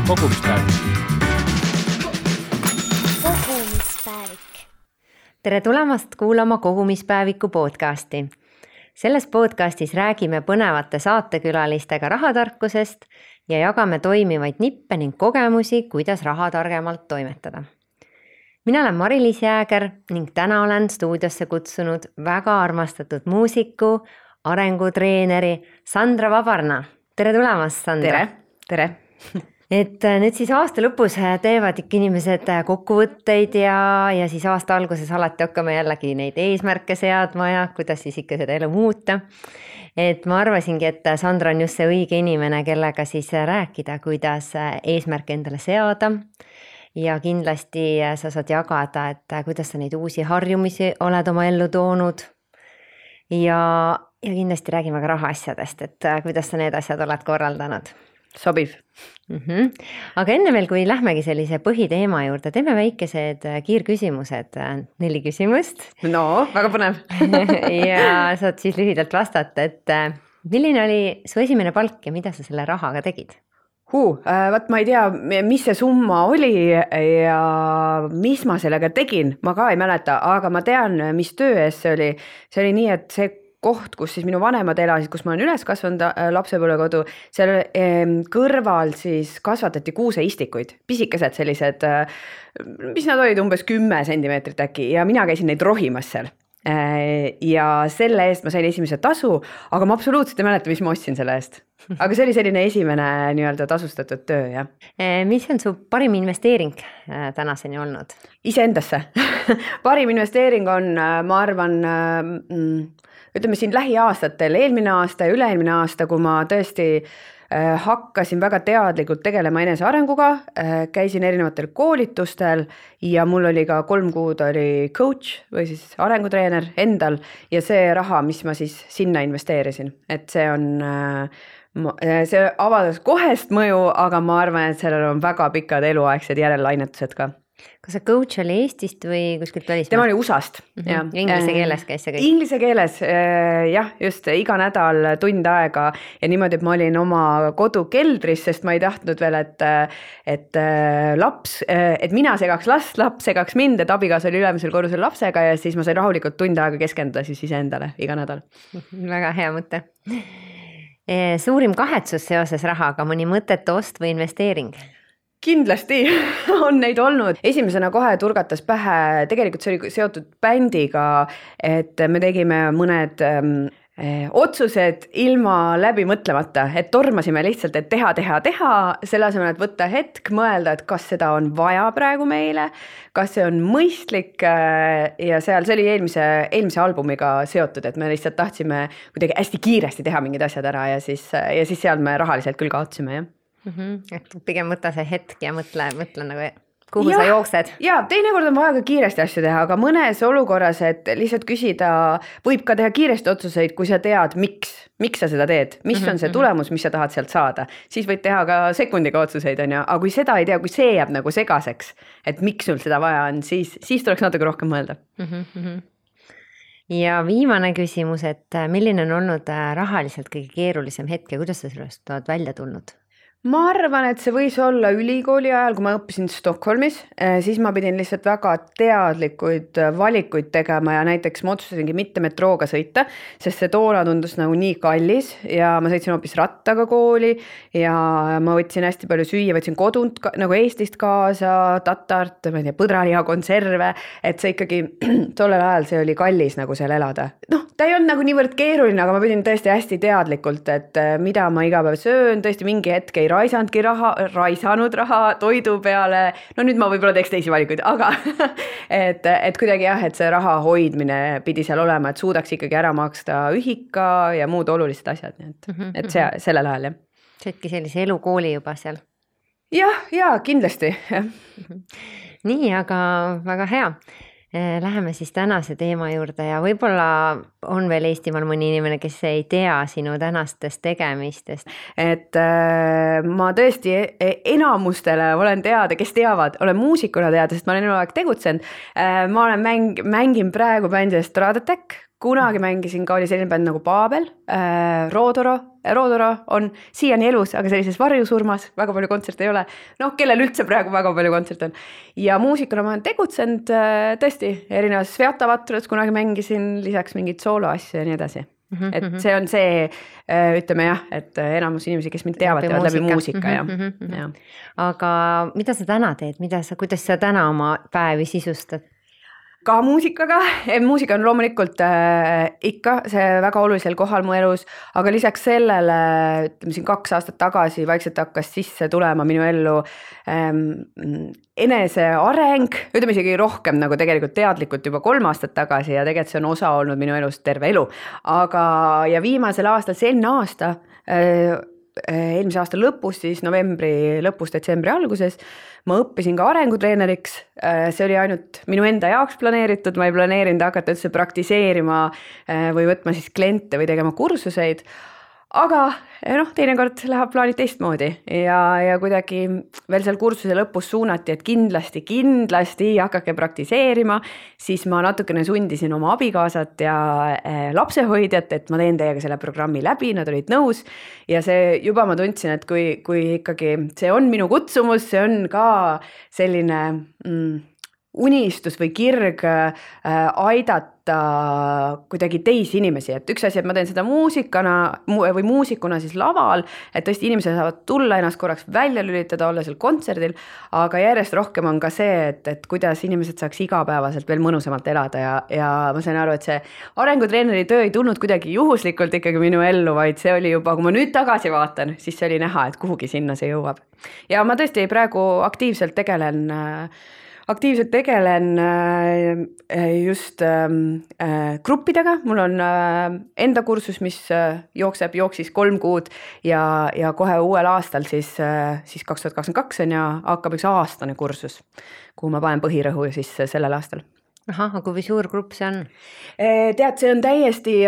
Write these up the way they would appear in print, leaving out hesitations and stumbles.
Kogumispäevik. Tere tulemast kuulama Kogumispäeviku podcasti. Selles podcastis räägime põnevate saatekülalistega rahatarkusest ja jagame toimivaid nippe ning kogemusi, kuidas raha targemalt toimetada. Mina olen Mari-Liis Jääger ning täna olen stuudiosse kutsunud väga armastatud muusiku, arengutreeneri Sandra Vabarna. Tere tulemast, Sandra! Tere! Et nüüd siis aasta lõpus teevad ikka inimesed kokkuvõtteid ja siis aasta alguses alati hakkame jällegi neid eesmärke seadma ja kuidas siis ikka seda elu muuta. Et ma arvasingi, et Sandra on just see õige inimene, kellega siis rääkida, kuidas eesmärke endale seada. Ja kindlasti sa saad jagada, et kuidas sa neid uusi harjumisi oled oma ellu toonud. Ja kindlasti räägime ka rahaasjadest, et kuidas sa need asjad oled korraldanud. Sobiv. Aga enne veel, kui lähmegi sellise põhiteema juurde, teeme väikesed kiirküsimused, 4 küsimust. No, väga põnev. Ja saad siis lühidalt vastata, et milline oli su esimene palk ja mida sa selle rahaga tegid? Vaat ma ei tea, mis see summa oli ja mis ma sellega tegin, ma ka ei mäleta, aga ma tean, mis töö ees see oli. See oli nii, et see koht, kus siis minu vanemad elasid, kus ma olen üles kasvanud lapsepõlvekodu, seal kõrval siis kasvatati kuuseistikuid, pisikesed sellised, mis nad olid umbes 10 sentimeetrit äkki ja mina käisin neid rohimas seal. Ja selle eest ma sain esimese tasu, aga ma absoluutselt ei mäleta, mis ma ostsin selle eest. Aga see oli selline esimene nii-öelda tasustatud töö, jah. Mis on su parim investeering tänaseni olnud? Iseendasse. Parim investeering on, ma arvan, ütleme siin lähiaastatel, eelmine aasta ja üle-eelmine aasta, kui ma tõesti hakkasin väga teadlikult tegelema enese arenguga, käisin erinevatel koolitustel ja mul oli ka 3 kuud oli coach või siis arengutreener endal ja see raha, mis ma siis sinna investeerisin, et see on, see avaldas kohest mõju, aga ma arvan, et sellel on väga pikad eluaegsed järellainetused ka. Kas see coach oli Eestist või kuskilt välismaalt? Tema oli USA-st. Ja inglise keeles käis see kõik? Inglise keeles, jah, just iga nädal tund aega ja niimoodi, et ma olin oma kodu keldris, sest ma ei tahtnud veel, et mina segaks last, laps segaks mind, et abigaas oli ülemisel korrusel lapsega ja siis ma sain rahulikult tund aega keskenduda siis iseendale iga nädal. Väga hea mõte. Suurim kahetsus seoses rahaga, mõni mõtete ost või investeering? Kindlasti on neid olnud. Esimesena kohe turgatas pähe, tegelikult see oli seotud bändiga, et me tegime mõned otsused ilma läbi mõtlemata, et tormasime lihtsalt, et teha, selle asemel, et võtta hetk, mõelda, et kas seda on vaja praegu meile, kas see on mõistlik ja see oli eelmise albumiga seotud, et me lihtsalt tahtsime kuidagi hästi kiiresti teha mingid asjad ära ja siis seal me rahaliselt küll kaotsime, jah. Et pigem võtta see hetk ja mõtle nagu, kuhu sa jooksed. Ja teinekord on vaja ka kiiresti asju teha, aga mõnes olukorras, et lihtsalt küsida, võib ka teha kiiresti otsuseid, kui sa tead, miks sa seda teed, mis on see tulemus, mis sa tahad sealt saada. Siis võid teha ka sekundiga otsuseid, aga kui seda ei tea, kui see jääb nagu segaseks, et miks sul seda vaja on, siis tuleks natuke rohkem mõelda. Ja viimane küsimus, et milline on olnud rahaliselt kõige keerulisem hetk ja kuidas sa sellest oled välja tulnud? Ma arvan, et see võis olla ülikooli ajal, kui ma õppisin Stockholmis, siis ma pidin lihtsalt väga teadlikuid valikuid tegema ja näiteks ma otsustasingi mitte metrooga sõita, sest see toona tundus nagu nii kallis ja ma sõitsin hoopis rattaga kooli ja ma võtsin hästi palju süüa, võtsin kodunt nagu Eestist kaasa, tatart, põdraliha konserve, et see ikkagi tollel ajal see oli kallis nagu seal elada. Ta ei olnud nagu niivõrd keeruline, aga ma pidin tõesti hästi teadlikult, et mida ma iga päev söön, tõesti mingi hetk ei raisanud raha toidu peale. No nüüd ma võib-olla teeks teisi valikuid, aga et kuidagi jah, et see raha hoidmine pidi seal olema, et suudaks ikkagi ära maksta ühika ja muud olulised asjad. Et see sellel ajal, jah. Saidki sellise elukooli juba seal? Ja kindlasti. Nii, aga väga hea. Läheme siis tänase teema juurde ja võib-olla on veel Eestimaal mõni inimene, kes ei tea sinu tänastest tegemistest. Et ma tõesti enamustele olen teada, kes teavad, olen muusikuna teada, sest ma olen eluaeg tegutsenud. Ma mängin praegu bändi Stradetech, kunagi mängisin ka, oli selline bänd nagu Paabel, Roodoro on siiani elus, aga sellises varjusurmas, väga palju kontserte ei ole. Noh, kellel üldse praegu väga palju kontserte on. Ja muusikuna ma olen tegutsenud tõesti erinevas Sveatavatrus kunagi mängisin, lisaks mingid sooloasju ja nii edasi. Et see on see, ütleme jah, et enamus inimesi, kes mind teavad läbi muusika ja. Aga mida sa täna teed, kuidas sa täna oma päevi sisustad? Ka muusikaga, muusika on loomulikult ikka see väga olulisel kohal mu elus, aga lisaks sellele, ütleme siin 2 aastat tagasi vaikselt hakkas sisse tulema minu ellu enese areng, ütleme isegi rohkem nagu tegelikult teadlikult juba 3 aastat tagasi ja tegelikult see on osa olnud minu elust terve elu. Aga ja viimasel aastal, eelmise aasta lõpus, siis novembri lõpus, detsembri alguses, ma õppisin ka arengutreeneriks, see oli ainult minu enda jaoks planeeritud, ma ei planeerinud hakata üldse praktiseerima või võtma siis kliente või tegema kursuseid, aga teinekord läheb plaanid teistmoodi ja kuidagi veel seal kursuse lõpus suunati, et kindlasti hakake praktiseerima, siis ma natukene sundisin oma abikaasat ja lapsehoidjat, et ma teen teiega selle programmi läbi, nad olid nõus ja see juba ma tundsin, et kui ikkagi see on minu kutsumus, see on ka selline unistus või kirg aidata kuidagi teisi inimesi, et üks asi, et ma teen seda muusikuna siis laval, et tõesti inimesed saavad tulla ennast korraks välja lülitada, olla seal kontserdil, aga järjest rohkem on ka see, et kuidas inimesed saaks igapäevaselt veel mõnusamalt elada ja ma sain aru, et see arengutreeneri töö ei tulnud kuidagi juhuslikult ikkagi minu ellu, vaid see oli juba, kui ma nüüd tagasi vaatan, siis see oli näha, et kuhugi sinna see jõuab. Ja ma tõesti praegu aktiivselt tegelen just gruppidega, mul on enda kursus, mis jooksis 3 kuud ja kohe uuel aastal siis 2022 on ja hakkab üks aastane kursus, kuhu ma panen põhirõhu siis sellel aastal. Aga kui suur grupp see on? Tead, see on täiesti,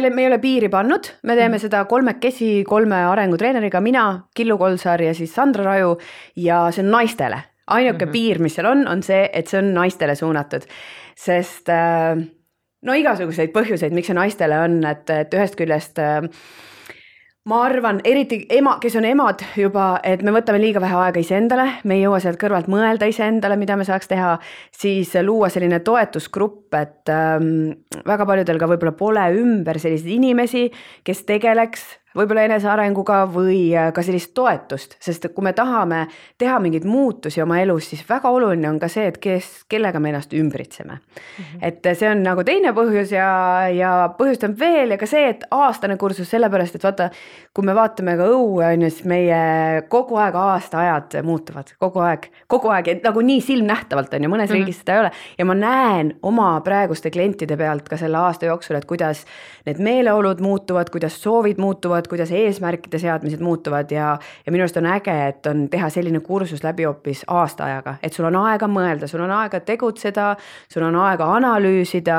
me ei ole piiri pannud, me teeme seda 3 arengutreeneriga, mina, Killu Kolsar ja siis Sandra Raju ja see on naistele. Ainuke piir, mis seal on see, et see on naistele suunatud, sest igasuguseid põhjuseid, miks see naistele on, et ühest küljest ma arvan, eriti kes on emad juba, et me võtame liiga vähe aega iseendale, me ei jõua sealt kõrvalt mõelda iseendale, mida me saaks teha, siis luua selline toetusgrupp, et väga paljudel ka võib-olla pole ümber selliseid inimesi, kes tegeleks võib-olla enesearenguga või ka sellist toetust, sest kui me tahame teha mingeid muutusi oma elus, siis väga oluline on ka see, et kellega me ennast ümbritseme. Et see on nagu teine põhjus ja põhjust on veel ja ka see, et aastane kursus sellepärast, et vaata, kui me vaatame ka õue, siis meie kogu aeg aastaajad muutuvad, kogu aeg, nagu nii silmnähtavalt on ja mõnes riigis seda ei ole. Ja ma näen oma praeguste klientide pealt ka selle aasta jooksul, et kuidas need meeleolud muutuvad, kuidas soovid muutuvad, kuidas eesmärkide seadmised muutuvad ja minu arust on äge, et on teha selline kursus läbi hoopis aastaajaga, et sul on aega mõelda, sul on aega tegutseda, sul on aega analüüsida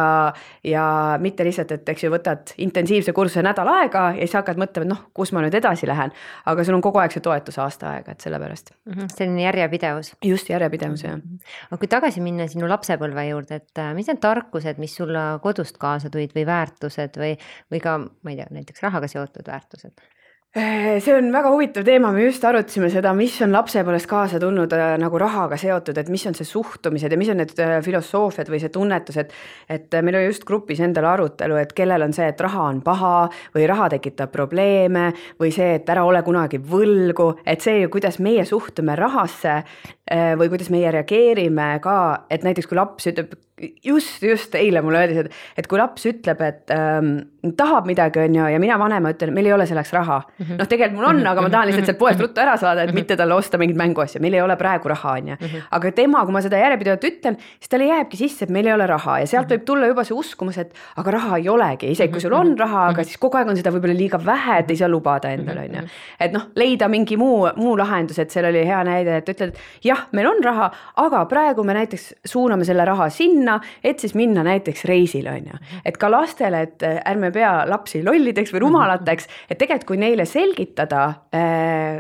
ja mitte lihtsalt, et eks ju võtad intensiivse kursuse nädal aega ja siis hakkad mõtlema, et kus ma nüüd edasi lähen, aga sul on kogu aeg see toetus aasta aega, et sellepärast. Selline järjepidevus. Just järjepidevus, jah. Aga kui tagasi minna sinu lapsepõlve juurde, et mis on tarkused, mis sulle kodust kaasa tulid või väärtused või ka, ma ei tea, näiteks rahaga seotud väärtused? See on väga huvitav teema, me just arutasime seda, mis on lapsepõlvest kaasa tulnud nagu rahaga seotud, et mis on see suhtumised ja mis on need filosoofiad või see tunnetus, et meil oli just grupis endal arutelu, et kellel on see, et raha on paha või raha tekitab probleeme või see, et ära ole kunagi võlgu, et see, kuidas meie suhtume rahasse või kuidas meie reageerime ka, et näiteks kui laps ütleb, just eile mulle öeldis, et kui laps ütleb, et tahab midagi on ja mina vanema ütlen, meil ei ole selleks raha. Tegelikult mul on, aga ma tahan lihtsalt sealt poest ruttu ära saada, et mitte talle osta mingit mänguasja, meil ei ole praegu raha on ja. Aga tema, kui ma seda järjepidevalt ütlen, siis talle jääbki sisse, et meil ei ole raha ja sealt võib tulla juba see uskumus, et aga raha ei olegi, isegi kui sul on raha, aga siis kogu aeg on seda võib-olla liiga vähe, et ei saa lubada endale on ja. Et leida mingi muu lahendus, et seal oli hea näide, et ütled, jah, meil on raha, aga praegu me näiteks suuname selle raha sinna, et siis minna näiteks reisile on ja. Et ka lastele, et ärme pea lapsi lollideks või rumalateks, et tegelikult kui neile selgitada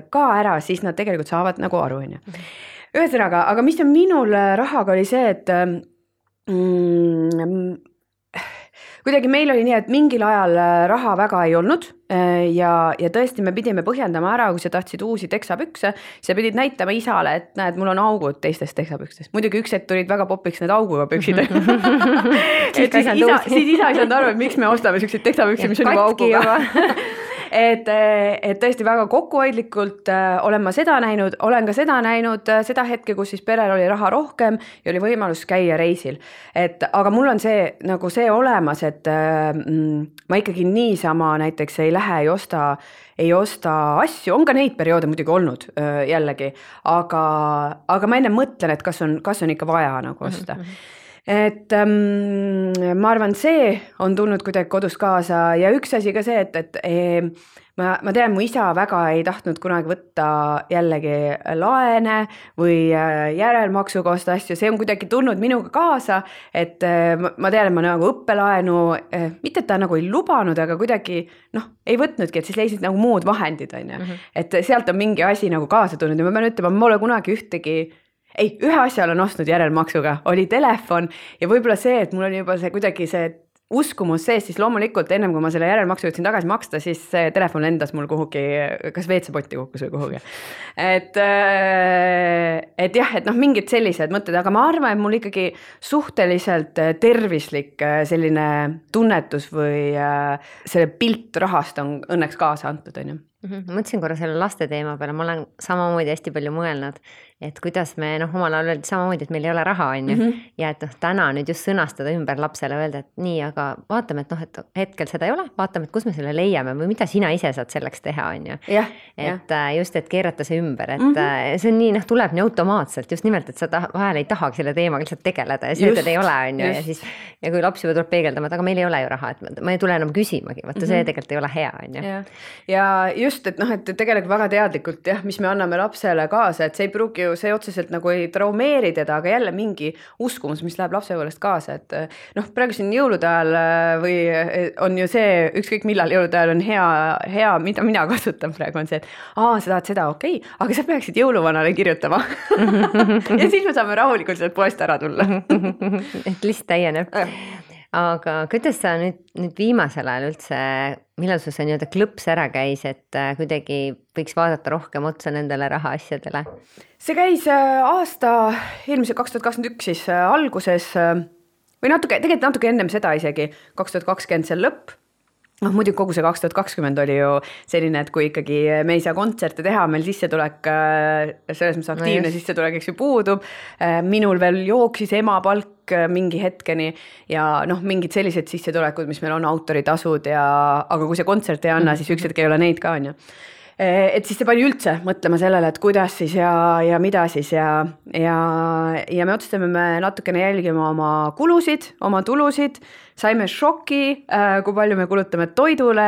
ka ära, siis nad tegelikult saavad nagu aru on ja. Ühesõnaga, aga mis on minul rahaga oli see, et kuidagi meil oli nii, et mingil ajal raha väga ei olnud ja tõesti me pidime põhjendama ära, kui sa tahtsid uusi teksapükse, sa pidid näitama isale, et näed, mul on augud teistest teksapükstes. Muidugi üks hetk tulid väga popiks need auguga püksid. siis isa ei saanud aru, et miks me ostame selliseid teksapükse, mis on juba auguga. et tõesti väga kokkuhoidlikult olen ma seda näinud, olen ka seda näinud seda hetke, kus siis perel oli raha rohkem ja oli võimalus käia reisil. Aga mul on see nagu see olemas, et ma ikkagi niisama näiteks ei lähe, ei osta asju, on ka neid perioode muidugi olnud jällegi, aga ma enne mõtlen, et kas on ikka vaja nagu osta. Et ma arvan, see on tulnud kuidagi kodus kaasa ja üks asi ka see, et ma tean, mu isa väga ei tahtnud kunagi võtta jällegi laene või järelmaksuga osta asju, see on kuidagi tulnud minuga kaasa, et ma tean, et ma nagu õppelaenu, mitte et ta nagu ei lubanud, aga kuidagi ei võtnudki, et siis leisid nagu muud vahendid, on ju. Et sealt on mingi asi nagu kaasa tulnud ja ma pean ütlema, ma pole kunagi ühe asja olen ostnud järelmaksuga, oli telefon ja võib-olla see, et mul oli juba see kuidagi see uskumus sees, siis loomulikult ennem kui ma selle järelmaksu jõudsin tagasi maksta, siis see telefon lendas mul kuhugi, kas WC-potti kukkus või kuhugi. Et jah, et mingid sellised mõtted, aga ma arvan, et mul ikkagi suhteliselt tervislik selline tunnetus või selle pilt rahast on õnneks kaasa antud, on ju. Mõtlesin korra selle laste teema peale, ma olen samamoodi hästi palju mõelnud, et kuidas me omal ajal öeldi samamoodi, et meil ei ole raha, on ju. Ja et täna nüüd just sõnastada ümber lapsele, öelda, et nii, aga vaatame, et hetkel seda ei ole, vaatame, et kus me selle leiame või mida sina ise saad selleks teha, on ju. Et just, et keerata see ümber, et see on nii, tuleb nii automaatselt, just nimelt, et sa vahel ei tahagi selle teemaga lihtsalt tegeleda ja see, et ei ole, on ju. Ja kui laps juba tuleb peegeldama, et aga meil ei ole ju raha, et ma ei tule enam küsimagi, vaata see tegelikult ei ole hea, on ju. Ja just, et tegelikult väga teadlikult mis me anname lapsele kaasa, et see ei pruugi ju, see otseselt nagu ei traumeeri teda, aga jälle mingi uskumus, mis läheb lapsepõlvest kaasa, et praegu siin jõulude ajal või on ju see, ükskõik millal jõulude ajal on hea, mida mina kasutan praegu on see, et sa tahad seda, okei, aga sa peaksid jõuluvanale kirjutama. Ja siis me saame rahulikult sealt poest ära tulla. Et list täieneb. Aga kuidas sa nüüd viimasel ajal üldse, millal sul see nii-öelda klõps ära käis, et kuidagi võiks vaadata rohkem otsa nendele raha asjadele? See käis eelmise 2021 siis alguses või tegelikult natuke ennem seda isegi, 2020 see lõpp. Muidugi kogu see 2020 oli ju selline, et kui ikkagi me ei saa kontserte teha, meil sissetulek, selles mõttes aktiivne sissetulek, eks ju puudub, minul veel jooksis emapalk mingi hetkeni ja mingid sellised sissetulekud, mis meil on autoritasud aga kui see kontsert ei anna, siis üks hetk ei ole neid ka, on ju. Et siis see pani üldse mõtlema sellele, et kuidas siis ja mida siis ja me otsustame me natukene jälgima oma kulusid, oma tulusid, saime šoki, kui palju me kulutame toidule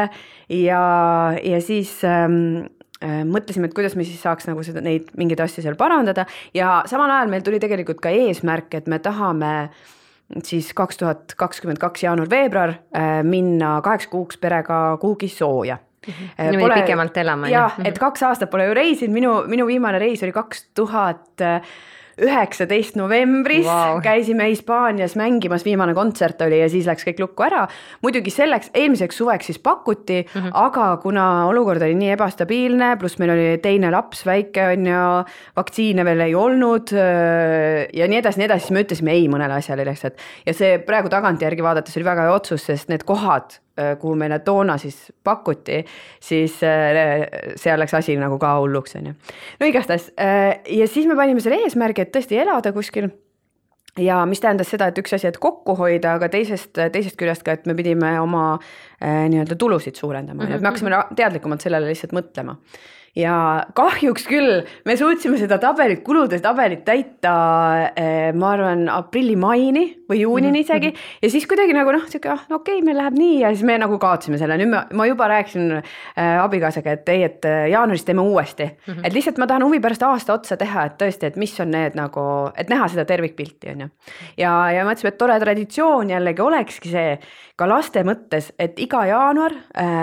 ja siis mõtlesime, et kuidas me siis saaks nagu neid mingeid asju seal parandada ja samal ajal meil tuli tegelikult ka eesmärk, et me tahame siis 2022 jaanuar-veebruar minna 8 kuuks perega kuhugi sooja. Pole pikemalt elama. Et 2 aastat pole ju reisid, minu viimane reis oli 2019 novembris, käisime Hispaanias mängimas, viimane kontsert oli ja siis läks kõik lukku ära. Muidugi selleks, eelmiseks suveks siis pakuti, aga kuna olukord oli nii ebastabiilne, pluss meil oli teine laps väike on ja vaktsiine veel ei olnud ja nii edasi, siis me ütlesime ei mõnele asjale lihtsalt. Ja see praegu tagantjärgi vaadates oli väga hea otsus, sest need kohad, kuhu meile toona siis pakuti, siis seal läks asi nagu ka hulluks. No igastahes. Ja siis me panime selle eesmärgi, et tõesti elada kuskil. Ja mis tähendas seda, et üks asi, et kokku hoida, aga teisest küljest ka, et me pidime oma nii-öelda tulusid suurendama. Et me hakkasime teadlikumalt sellele lihtsalt mõtlema. Ja kahjuks küll, me suutsime seda kulude tabelit täita, ma arvan, aprilli-maini või juunini isegi. Ja siis kuidagi nagu okei, meil läheb nii ja siis me nagu kaotsime selle. Nüüd ma juba rääkisin abikaasaga, et jaanuaris teeme uuesti. Et lihtsalt ma tahan huvi pärast aasta otsa teha, et tõesti, et mis on need nagu, et näha seda tervikpilti. On ju. Ja mõtlesime, et tore traditsioon jällegi olekski see ka laste mõttes, et iga jaanuar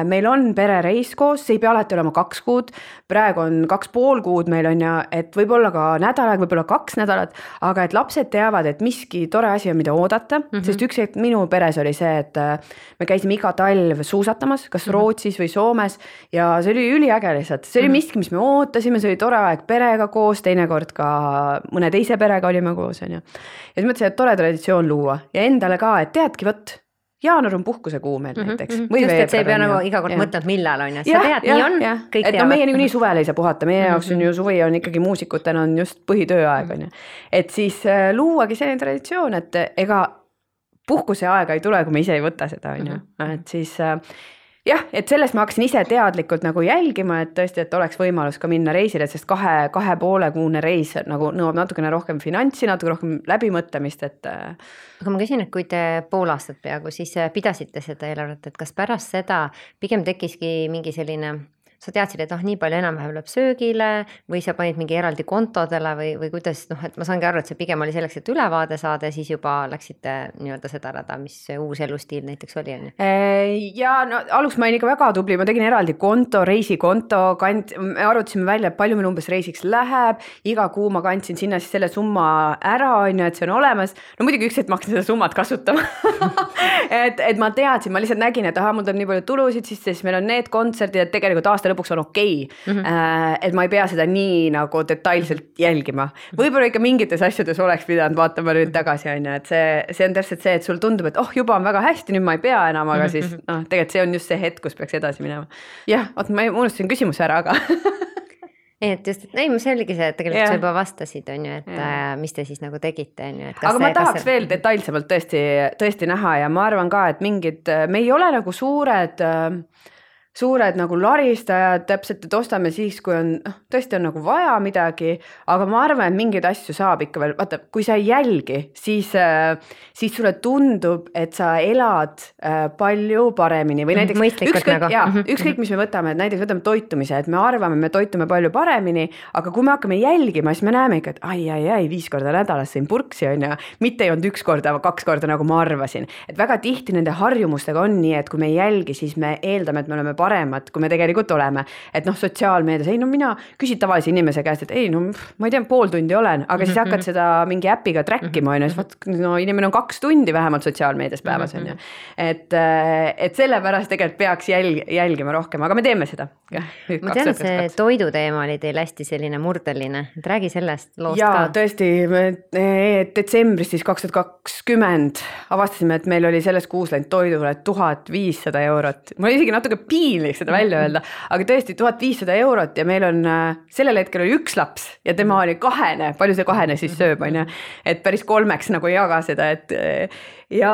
meil on perereis koos, see ei pea alati olema 2 kuud, praegu on 2,5 kuud meil on ja et võib-olla ka nädal, võib-olla 2 nädalat, aga et lapsed teavad, et miski tore asi on, mida oodata, sest üks hetk minu peres oli see, et me käisime iga talv suusatamas, kas Rootsis või Soomes ja see oli üliäge lihtsalt, see oli miski, mis me ootasime, see oli tore aeg perega koos, teinekord ka mõne teise perega olime koos, on ju. Ja siis mõtlesin, et tore traditsioon luua ja endale ka, et teadki, võt, jaanuar on puhkuse kuu meil näiteks. Või just, et see ei pea nagu iga kord mõtled, millal on ja sa tead, nii on, kõik teavad. Et meie nii suvel ei saa puhata, meie jaoks on ju suvi on ikkagi muusikutena on just põhitööaeg on ju. Et siis luuagi selline traditsioon, et ega puhkuse aega ei tule, kui me ise ei võta seda on ju. Et siis jah, et sellest ma hakkasin ise teadlikult nagu jälgima, et tõesti, et oleks võimalus ka minna reisile, sest 2,5 kuune reis nagu nõuab natukene rohkem finantsi, natuke rohkem läbimõtlemist, et aga ma küsin, et kui te pool aastat peaaegu siis pidasite seda eelarvet, et kas pärast seda pigem tekkiski mingi selline, sa teadsid, et nii palju enam-vähem läheb söögile või sa panid mingi eraldi kontodele või kuidas, et ma saangi aru, et see pigem oli selleks, et ülevaade saada ja siis juba läksite nii-öelda seda rada, mis see uus elustiil näiteks oli, on ju? Ja no aluks ma olin ikka väga tubli, ma tegin eraldi konto, reisikonto, me arutasime välja, palju meil umbes reisiks läheb, iga kuu ma kandsin sinna siis selle summa ära, on ju, et see on olemas. No muidugi üks, et ma hakkasin seda summat kasutama. et ma teadsin, ma lihtsalt nägin, et mul tuleb nii palju tulusid, siis meil on need kontserdid, et tegelikult aasta lõpuks on okei. Et ma ei pea seda nii nagu detailselt jälgima. Võib-olla ikka mingites asjades oleks pidanud vaatama nüüd tagasi, on ju, et see on täpselt see, et sul tundub, et juba on väga hästi, nüüd ma ei pea enam, aga siis tegelikult see on just see hetk, kus peaks edasi minema. Jah, ma unustasin küsimuse ära, aga et just, ei, see oligi see, et tegelikult sa juba vastasid, on ju, et mis te siis nagu tegite, on ju. Aga ma tahaks veel detailsemalt tõesti näha ja ma arvan ka, et me ei ole nagu suured nagu laristajad, täpselt, et ostame siis, kui on, tõesti on nagu vaja midagi, aga ma arvan, et mingeid asju saab ikka veel, vaata, kui sa ei jälgi, siis sulle tundub, et sa elad palju paremini või näiteks ükskõik, mis me võtame, et näiteks võtame toitumise, et me arvame, me toitume palju paremini, aga kui me hakkame jälgima, siis me näeme ikka, et ai, 5 korda nädalas sõin purksi, on ju, mitte ei olnud 1 korda, 2 korda, nagu ma arvasin. Et väga tihti nende harjumustega on nii, et kui me ei jälgi, siis me eeldame, et me oleme paremad, kui me tegelikult oleme. Et sotsiaalmeedias, mina küsid tavalise inimese käest, et ma ei tea, pool tundi olen, aga siis hakkad seda mingi äpiga trackima, inimene on 2 tundi vähemalt sotsiaalmeedias päevas, on ju. Et sellepärast tegelikult peaks jälgima rohkem, aga me teeme seda. Ma tean, et see toiduteema oli teil hästi selline murdeline, et räägi sellest loost ka. Ja tõesti, detsembris siis 2020 avastasime, et meil oli selles kuus läinud toidule 1500 €. Ma isegi natuke piinlik seda välja öelda, aga tõesti 1500 € ja meil on, sellel hetkel oli 1 laps ja tema oli 2, palju see 2 siis sööb, on ju, et päris 3 nagu ei jaga seda, et ja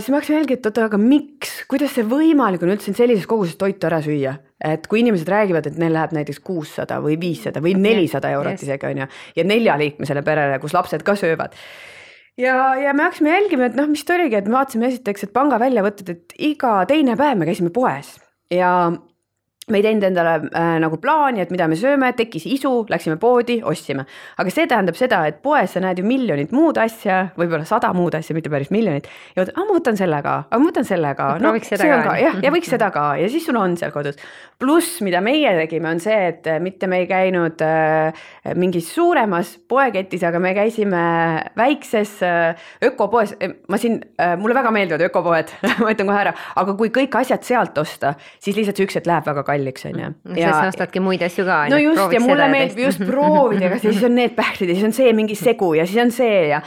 siis ma hakkasin jälgi, et aga miks, kuidas see võimalik on üldse sellises koguses toitu ära süüa, et kui inimesed räägivad, et neil läheb näiteks 600 või 500 või 400 € isegi, on ju, ja 4-liikmesele perele, kus lapsed ka söövad. Ja me hakkasime jälgima, et mis ta oligi, et me vaatasime esiteks, et panga väljavõtted, et iga teine päev me käisime poes ja me ei teinud endale nagu plaani, et mida me sööme, tekkis isu, läksime poodi, ostsime. Aga see tähendab seda, et poes sa näed ju miljonit muud asja, võib-olla 100 muud asja, mitte päris miljonit. Ja ma võtan selle ka, Prooviks seda ka. Ja võiks seda ka ja siis sul on seal kodus. Pluss, mida meie tegime, on see, et mitte me ei käinud mingis suuremas poeketis, aga me käisime väikses ökopoes. Mulle väga meeldivad ökopoed, ma ütlen kohe ära, aga kui kõik asjad sealt osta, siis lihtsalt see üks, et läheb väga kalliks, on ju. Siis ostadki muid asju ka. No just, ja mulle meeldib just proovida, aga siis on need pähklid ja siis on see mingi segu ja siis on see ja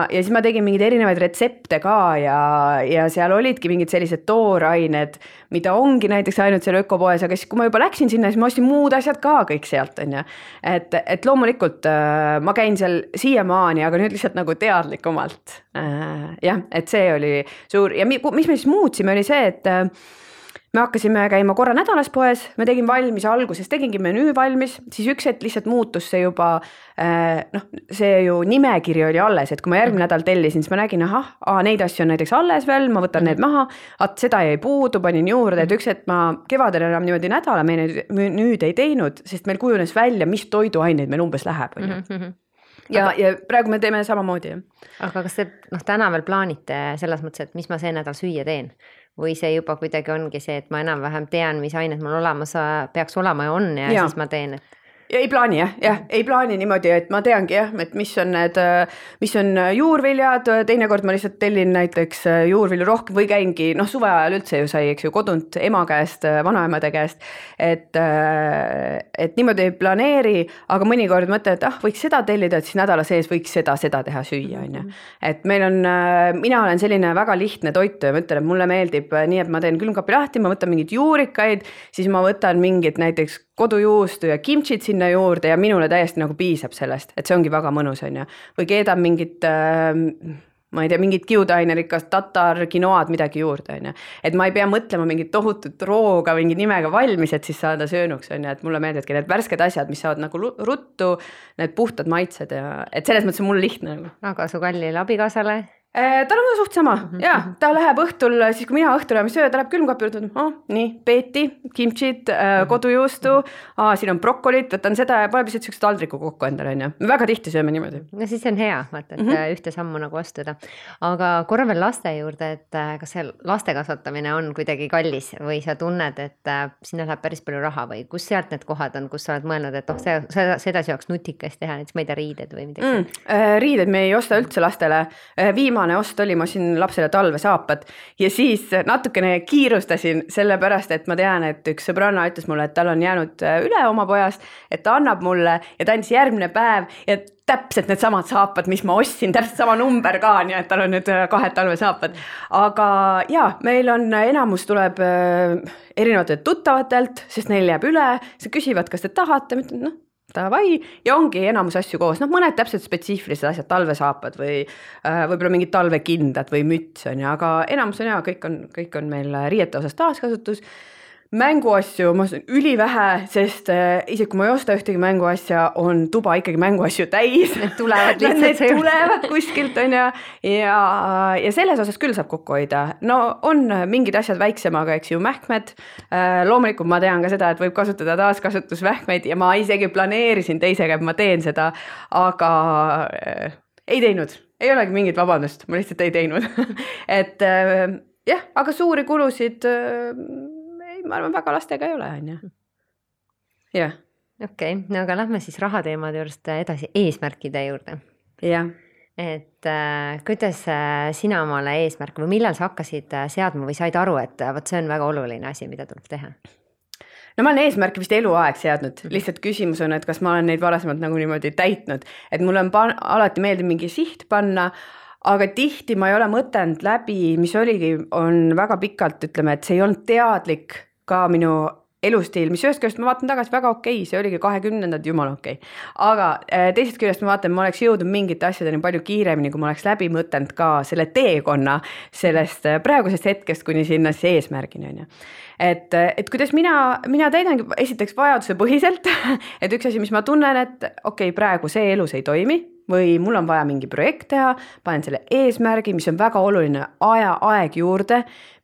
siis ma tegin mingeid erinevaid retsepte ka ja seal olidki mingid sellised toorained, mida ongi näiteks ainult seal ökopoes, aga siis kui ma juba läksin sinna, siis ma ostsin muud asjad ka kõik sealt, on ju. Et loomulikult ma käin seal siiamaani, aga nüüd lihtsalt nagu teadlikumalt. Jah, et see oli suur ja mis me siis muutsime, oli see, et me hakkasime käima korra nädalas poes, me tegin valmis alguses, tegingi menüü valmis, siis üks hetk lihtsalt muutus see juba, see ju nimekiri oli alles, et kui ma järgmine nädal tellisin, siis ma nägin, neid asju on näiteks alles veel, ma võtan need maha, seda jäi puudu, panin juurde, et üks hetk ma kevadel enam niimoodi nädala menüüd ei teinud, sest meil kujunes välja, mis toiduaineid meil umbes läheb. Ja praegu me teeme samamoodi. Aga kas te täna veel plaanite selles mõttes, et mis ma see nädal süüa teen? või see juba kuidagi ongi see, et ma enam-vähem tean, mis ained mul olemas peaks olema ja on ja siis ma teen, et ja ei plaani ei plaani niimoodi, et ma teangi et mis on juurviljad, teinekord ma lihtsalt tellin näiteks juurvilju rohkem või käingi, suve ajal üldse ju sai, eks ju, kodunt ema käest, vanaemade käest, et niimoodi ei planeeri, aga mõnikord mõtlen, et võiks seda tellida, et siis nädala sees võiks seda teha süüa, on ju. Et meil on, mina olen selline väga lihtne toitu ja ma ütlen, et mulle meeldib nii, et ma teen külmkapi lahti, ma võtan mingid juurikaid, siis ma võtan mingit näiteks kodujuustu ja kimchit sinna juurde ja minule täiesti nagu piisab sellest, et see ongi väga mõnus, on ju. Või keedan mingit, ma ei tea, mingit kiudainerikast tatar, kinoad, midagi juurde, on ju. Et ma ei pea mõtlema mingit tohutut rooga, mingi nimega valmis, et siis saada söönuks, on ju. Et mulle meeldivadki need värsked asjad, mis saavad nagu ruttu, need puhtad maitsed ja et selles mõttes on mul lihtne. Aga su kallile abikaasale? Tal on suht sama, ta läheb õhtul, siis kui mina õhtul enam söö, ta läheb külmkapi juurde, nii, peeti, kimchit, kodujuustu, siin on brokolit, võtan seda ja paneb lihtsalt sellise taldriku kokku endale, on ju. Me väga tihti sööme niimoodi. No siis on hea, vaata, et ühte sammu nagu astuda. Aga korra veel laste juurde, et kas see laste kasvatamine on kuidagi kallis või sa tunned, et sinna läheb päris palju raha või kus sealt need kohad on, kus sa oled mõelnud, et sedasi oleks nutikast teha, näiteks ma ei tea, riided või midagi? Riided me ei osta üldse lastele. Viimane ost oli, ma siin lapsele talvesaapad ja siis natukene kiirustasin sellepärast, et ma tean, et üks sõbranna ütles mulle, et tal on jäänud üle oma pojast, et ta annab mulle ja ta andis järgmine päev ja täpselt need samad saapad, mis ma ostsin, täpselt sama number ka, nii et tal on nüüd 2 talvesaapad. Aga meil on enamus tuleb erinevatelt tuttavatelt, sest neil jääb üle, sa küsivad, kas te tahate, davai, ja ongi enamus asju koos, mõned täpselt spetsiifilised asjad, talvesaapad või võib-olla mingid talvekindad või müts on ja, aga enamus on kõik on meil riiete osas taaskasutus. Mänguasju ma olen ülivähe, sest isegi kui ma ei osta ühtegi mänguasja, on tuba ikkagi mänguasju täis. Need tulevad lihtsalt. Need tulevad kuskilt on ja selles osas küll saab kokku hoida. No on mingid asjad väiksemaga, eks ju, mähkmed. Loomulikult ma tean ka seda, et võib kasutada taaskasutusmähkmeid ja ma isegi planeerisin teisega, et ma teen seda, aga ei teinud. Ei olegi mingit vabandust, ma lihtsalt ei teinud. Et aga suuri kulusid ma arvan, väga lastega ei ole, on ju. Jah. Okei, no aga lähme siis rahateemade juurest edasi eesmärkide juurde. Jah. Et kuidas sina omale eesmärk või millal sa hakkasid seadma või said aru, et võt see on väga oluline asi, mida tuleb teha? No ma olen eesmärke vist eluaeg seadnud, lihtsalt küsimus on, et kas ma olen neid varasemalt nagu niimoodi täitnud, et mul on alati meeldib mingi siht panna, aga tihti ma ei ole mõtelnud läbi, mis on väga pikalt, ütleme, et see ei olnud teadlik ka minu elustiil, mis ühest küljest ma vaatan tagasi väga okei, see oligi 20-ndad jumala okei. Aga teisest küljest ma vaatan, ma oleks jõudnud mingite asjadeni palju kiiremini, kui ma oleks läbi mõtelnud ka selle teekonna sellest praegusest hetkest kuni sinna eesmärgini, on ju. Et kuidas mina täidangi esiteks vajaduse põhiselt, et üks asi, mis ma tunnen, et okei, praegu see elus ei toimi, või mul on vaja mingi projekt teha, panen selle eesmärgi, mis on väga oluline aeg juurde,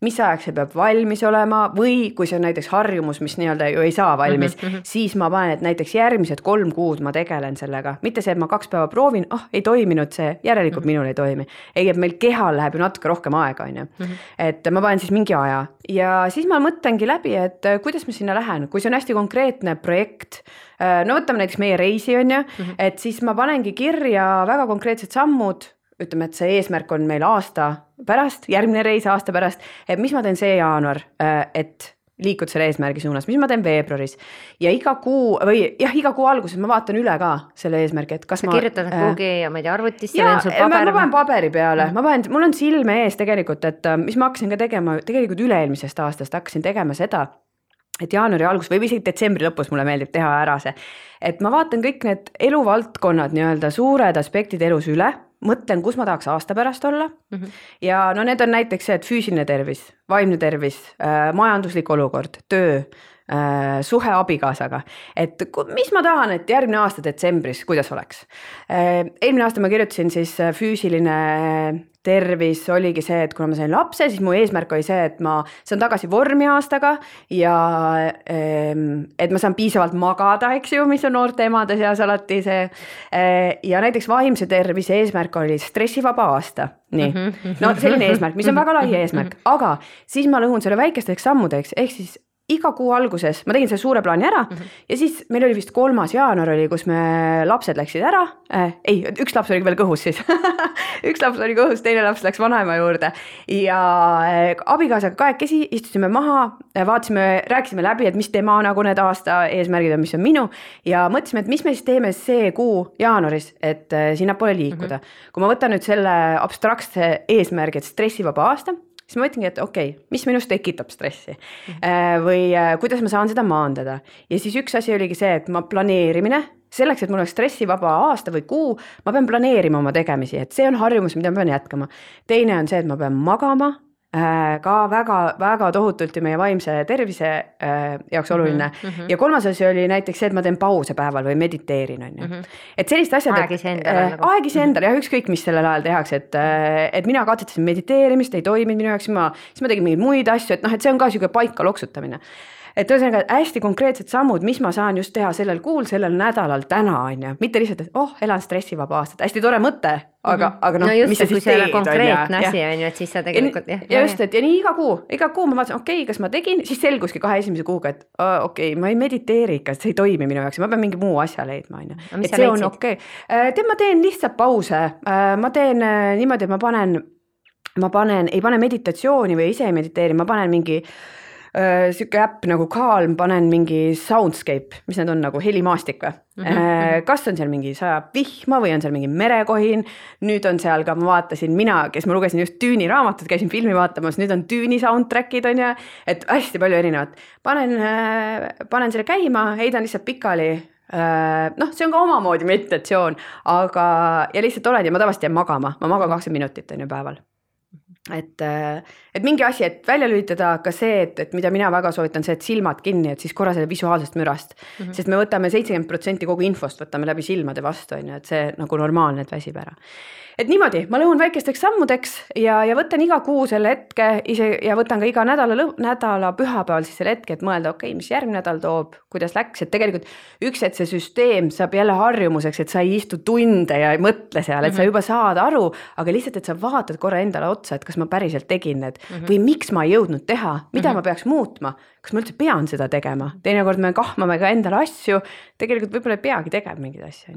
mis ajaks see peab valmis olema või kui see on näiteks harjumus, mis nii-öelda ju ei saa valmis, siis ma panen, et näiteks järgmised 3 kuud ma tegelen sellega. Mitte see, et ma 2 päeva proovin, ei toiminud see, järelikult minul ei toimi. Ei, et meil kehal läheb ju natuke rohkem aega, on ju. Et ma panen siis mingi aja ja siis ma mõtlengi läbi, et kuidas ma sinna lähen, kui see on hästi konkreetne projekt, no võtame näiteks meie reisi, on ju, et siis ma panengi kirja väga konkreetsed sammud, ütleme, et see eesmärk on meil aasta pärast, järgmine reis aasta pärast, et mis ma teen see jaanuar, et liikud selle eesmärgi suunas, mis ma teen veebruaris ja iga kuu alguses ma vaatan üle ka selle eesmärgi, et kas sa kirjutad kuhugi, ma ei tea, arvutisse või on sul paber? Ma panen paberi peale, mul on silme ees tegelikult, et mis ma hakkasin ka tegema, tegelikult üle-eelmisest aastast hakkasin tegema seda, et jaanuari algus või isegi detsembri lõpus mulle meeldib teha ära see, et ma vaatan kõik need eluvaldkonnad, nii-öelda suured aspektid elus üle, mõtlen, kus ma tahaks aasta pärast olla ja no need on näiteks see, et füüsiline tervis, vaimne tervis, majanduslik olukord, töö, suhe abikaasaga, et mis ma tahan, et järgmine aasta detsembris, kuidas oleks. Eelmine aasta ma kirjutasin siis füüsiline tervis oligi see, et kuna ma sain lapse, siis mu eesmärk oli see, et ma saan tagasi vormi aastaga ja et ma saan piisavalt magada, eks ju, mis on noorte emade seas alati see. Ja näiteks vaimse tervise eesmärk oli stressivaba aasta. Nii, no selline eesmärk, mis on väga lai eesmärk, aga siis ma lõhun selle väikesteks sammudeks, ehk siis iga kuu alguses, ma tegin selle suure plaani ära ja siis meil oli vist 3. jaanuar oli, kus me lapsed läksid ära. Üks laps oli veel kõhus siis. Üks laps oli kõhus, teine laps läks vanaema juurde ja abikaasaga kahekesi istusime maha, rääkisime läbi, et mis tema nagu need aasta eesmärgid on, mis on minu ja mõtlesime, et mis me siis teeme see kuu jaanuaris, et sinna poole liikuda. Kui ma võtan nüüd selle abstraktse eesmärgi, et stressivaba aasta, siis ma mõtlengi, et okei, mis minust tekitab stressi või kuidas ma saan seda maandada. Ja siis üks asi oligi see, et ma planeerimine, selleks, et mul oleks stressivaba aasta või kuu, ma pean planeerima oma tegemisi, et see on harjumus, mida ma pean jätkama. Teine on see, et ma pean magama, ka väga tohutult ja meie vaimse tervise jaoks oluline. Ja 3. asi oli näiteks see, et ma teen pause päeval või mediteerin. Et sellist asjad, aegis endale ja ükskõik, mis sellel ajal tehakse, et mina katsetasin mediteerimist, ei toiminud minu jaoks, siis ma tegin mingeid muid asju, et see on ka selline paika loksutamine. Et ühesõnaga hästi konkreetsed sammud, mis ma saan just teha sellel kuul, sellel nädalal täna, mitte lihtsalt, et elan stressivaba aastat, hästi tore mõte, aga no just, mis sa siis teed, konkreetne asi on ju, et siis sa tegelikult ja just, et ja nii iga kuu ma vaatasin, okei, kas ma tegin, siis selguski 2 esimese kuuga, et okei, ma ei mediteeri ikka, see ei toimi minu jaoks, ma pean mingi muu asja leidma, et see on okei. Ma teen lihtsalt pause, ma teen niimoodi, et ei pane meditatsiooni või ise ei mediteeri, ma panen mingi siuke äpp nagu Calm, panen mingi soundscape, mis need on nagu helimaastik või? Kas on seal mingi sajab vihma või on seal mingi merekohin, nüüd on seal ka, ma vaatasin kes ma lugesin just Düüni raamatut, käisin filmi vaatamas, nüüd on Düüni soundtrackid on ja, et hästi palju erinevat. Panen selle käima, heidan lihtsalt pikali, see on ka omamoodi meditatsioon, aga ja lihtsalt olen ja ma tavaliselt jään magama, ma magan 20 minutit on ju päeval. Et mingi asi, et välja lülitada ka see, et mida mina väga soovitan, see, et silmad kinni, et siis korra selle visuaalsest mürast, sest me võtame 70% kogu infost, võtame läbi silmade vastu, et see nagu normaalne, et väsib ära. Et niimoodi, ma lõhun väikesteks sammudeks ja võtan iga kuu selle hetke ja võtan ka iga nädala pühapäeval siis selle hetke, et mõelda, okei, mis järgmine nädal toob, kuidas läks, et tegelikult et see süsteem saab jälle harjumuseks, et sa ei istu tunde ja ei mõtle seal, et sa juba saad aru, aga lihtsalt, et sa vaatad korra endale otsa, et kas ma päriselt tegin need või miks ma ei jõudnud teha, mida ma peaks muutma, kas ma üldse pean seda tegema, teinekord me kahmame ka endale asju, tegelikult võib-olla ei peagi tegema mingid asju.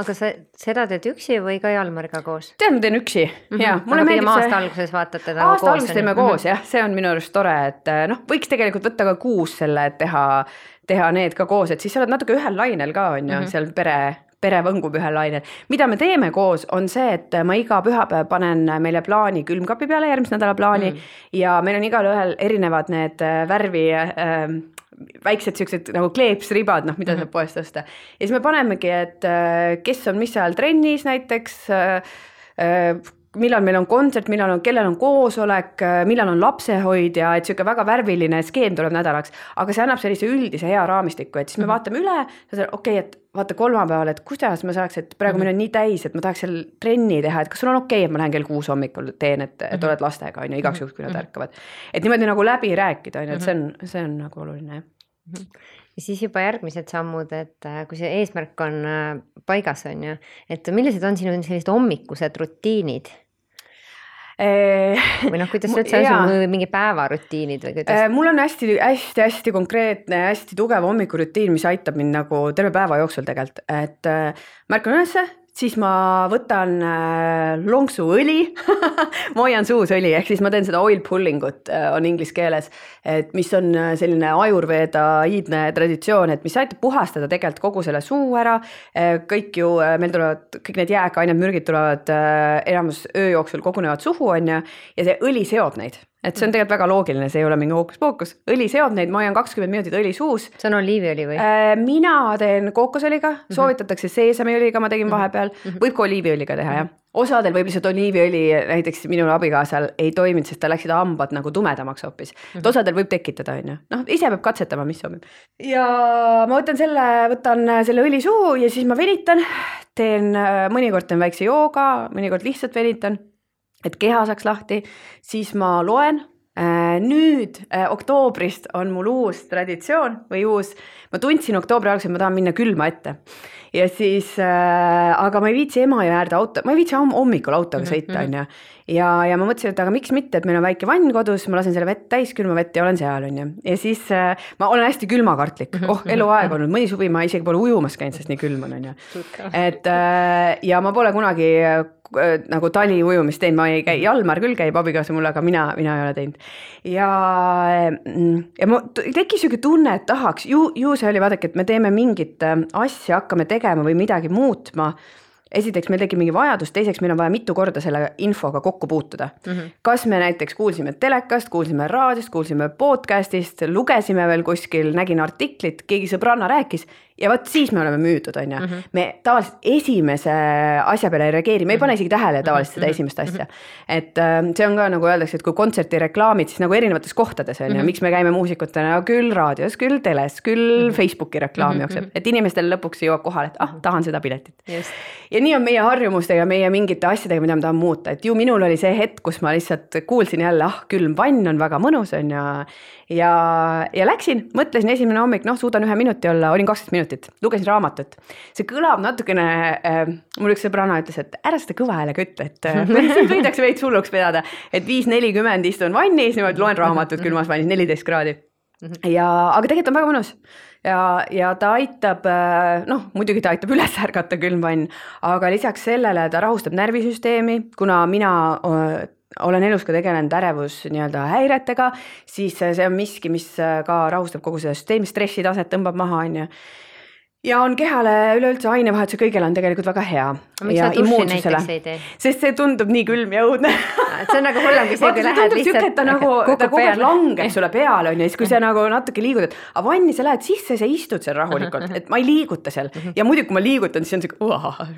Aga sa seda teed üksi või ka Jalmariga koos? Tead, ma teen üksi. Aga pigem aasta alguses vaatate teda koos? Aasta alguses teeme koos, jah, see on minu arust tore, et võiks tegelikult võtta ka kuus selle, et teha need ka koos, et siis sa oled natuke ühel lainel ka, on ju, seal pere võngub ühel lainel. Mida me teeme koos on see, et ma iga pühapäev panen meile plaani külmkapi peale, järgmise nädala plaani ja meil on igal ühel erinevad need värvi väiksed siuksed nagu kleepsribad, mida saab poest osta. Ja siis me panemegi, et kes on mis ajal trennis näiteks, millal meil on kontsert, kellel on koosolek, millal on lapsehoidja, et siuke väga värviline skeem tuleb nädalaks, aga see annab sellise üldise hea raamistiku, et siis me vaatame üle, okei, et vaata kolmapäeval, et kuidas ma saaks, et praegu meil on nii täis, et ma tahaks seal trenni teha, et kas sul on okei, et ma lähen kell 6 hommikul teen, et oled lastega, on ju, igaks juhuks, kui nad ärkavad. Et niimoodi nagu läbi rääkida, on ju, et see on nagu oluline. Ja siis juba järgmised sammud, et kui see eesmärk on paigas, on ju, et millised on sinu sellised hommikused rutiinid? Või kuidas sa üldse on mingi päevarutiinid või kuidas? Mul on hästi konkreetne, hästi tugev hommikurutiin, mis aitab mind nagu terve päeva jooksul tegelikult, et märkan ülesse, siis ma võtan lonksuõli, ma hoian suus õli, ehk siis ma teen seda oil pulling ut, on inglise keeles, et mis on selline ajurveeda-iidne traditsioon, et mis aitab puhastada tegelikult kogu selle suu ära, meil tulevad, kõik need jääkained, mürgid tulevad enamus öö jooksul kogunevad suhu, on ja see õli seob neid. et see on tegelikult väga loogiline, see ei ole mingi hookus-pookus. Õli seod neid, ma hoian 20 minutit õli suus. See on oliiviõli või? Mina teen kookosõliga, soovitatakse seesamiõliga, ma tegin vahepeal, võib ka oliiviõliga teha, jah. Osadel võib lihtsalt oliiviõli, näiteks minul abikaasal ei toiminud, sest ta läksid hambad nagu tumedamaks hoopis. Et osadel võib tekitada, on ju. Noh, ise peab katsetama, mis sobib. Ja ma võtan selle õli suhu ja siis ma venitan, mõnikord teen väikse jooga, mõnikord lihtsalt venitan, et keha saaks lahti, siis ma loen. Nüüd oktoobrist on mul uus traditsioon või ma tundsin oktoobri alguses, et ma tahan minna külma ette. Ja siis, aga ma ei viitsi Emajõe äärde ma ei viitsi hommikul autoga sõita, on ju. Ja ma mõtlesin, et aga miks mitte, et meil on väike vann kodus, ma lasen selle vett täis, külma vett ja olen seal, on ju. Ja siis ma olen hästi külmakartlik, eluaeg olnud, mõni suvi ma isegi pole ujumas käinud, sest nii külm on ju. Et ja ma pole kunagi nagu tali ujumist teinud, ma ei käi, Jalmar küll käib abikaasa mulle, aga mina ei ole teinud. Ja ma tekkis siuke tunne, et tahaks, ju see oli, vaadake, et me teeme mingit asja, hakkame tegema või midagi muutma. Esiteks meil tegi mingi vajadus, teiseks meil on vaja mitu korda selle infoga kokku puutuda. Kas me näiteks kuulsime telekast, kuulsime raadiost, kuulsime podcastist, lugesime veel kuskil, nägin artiklit, keegi sõbranna rääkis ja võt siis me oleme müüdud, on ju. Me tavaliselt esimese asja peale ei reageeri, me ei pane isegi tähele tavaliselt seda esimest asja. Et see on ka nagu öeldakse, et kui kontserti reklaamid, siis nagu erinevates kohtades on ju, miks me käime muusikutena küll raadios, küll teles, küll Facebooki reklaam jookseb, et inimestel lõpuks jõuab kohale, et tahan seda piletit. Ja nii on meie harjumustega, meie mingite asjadega, mida ma tahan muuta, et ju minul oli see hetk, kus ma lihtsalt kuulsin jälle, külm vann on väga mõnus on ja läksin, mõtlesin esimene hommik, suudan 1 minuti olla, olin 20 minutit, lugesin raamatut. See kõlab natukene, mul üks sõbranna ütles, et ära seda kõva häälega ütle, et võidaks veits hulluks vedada, et 5:40 istun vannis, niimoodi loen raamatut külmas vannis, 14 kraadi. Aga tegelikult on väga mõnus. Ja ta aitab, muidugi ta aitab üles ärgata külm vann, aga lisaks sellele ta rahustab närvisüsteemi, kuna mina olen elus ka tegelenud ärevus nii-öelda häiretega, siis see on miski, mis ka rahustab kogu seda süsteemi, stressitaset tõmbab maha, on ju. Ja on kehale üleüldse ainevahetuse kõigele on tegelikult väga hea. Ja immuunsusele. Sest see tundub nii külm ja õudne. See on nagu hullem, kui see lähed lihtsalt ta kogu aeg langeb sulle peale, on ja siis kui sa nagu natuke liigud, et vanni sa lähed sisse, sa istud seal rahulikult, et ma ei liiguta seal. Ja muidugi, kui ma liigutan, siis on see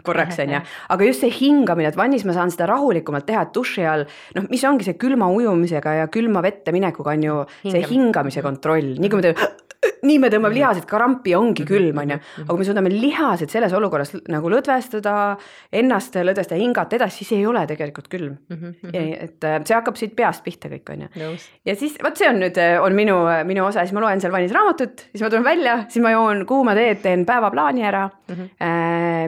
korraks, on ja. Aga just see hingamine, et vannis ma saan seda rahulikumalt teha, et duši all, mis ongi see külma ujumisega ja külma vette minekuga on ju see hingamise kontroll. Nii me tõmbame lihased, karampi ongi külm, on ju. Aga me suudame lihased selles olukorras nagu lõdvestada, ennast lõdvestada, hingata edasi, siis ei ole tegelikult külm. Et see hakkab siit peast pihta kõik, on ju. Ja siis, see on nüüd minu osa, siis ma loen seal vannis raamatut, siis ma tulen välja, siis ma joon kuuma teed, teen päevaplaani ära,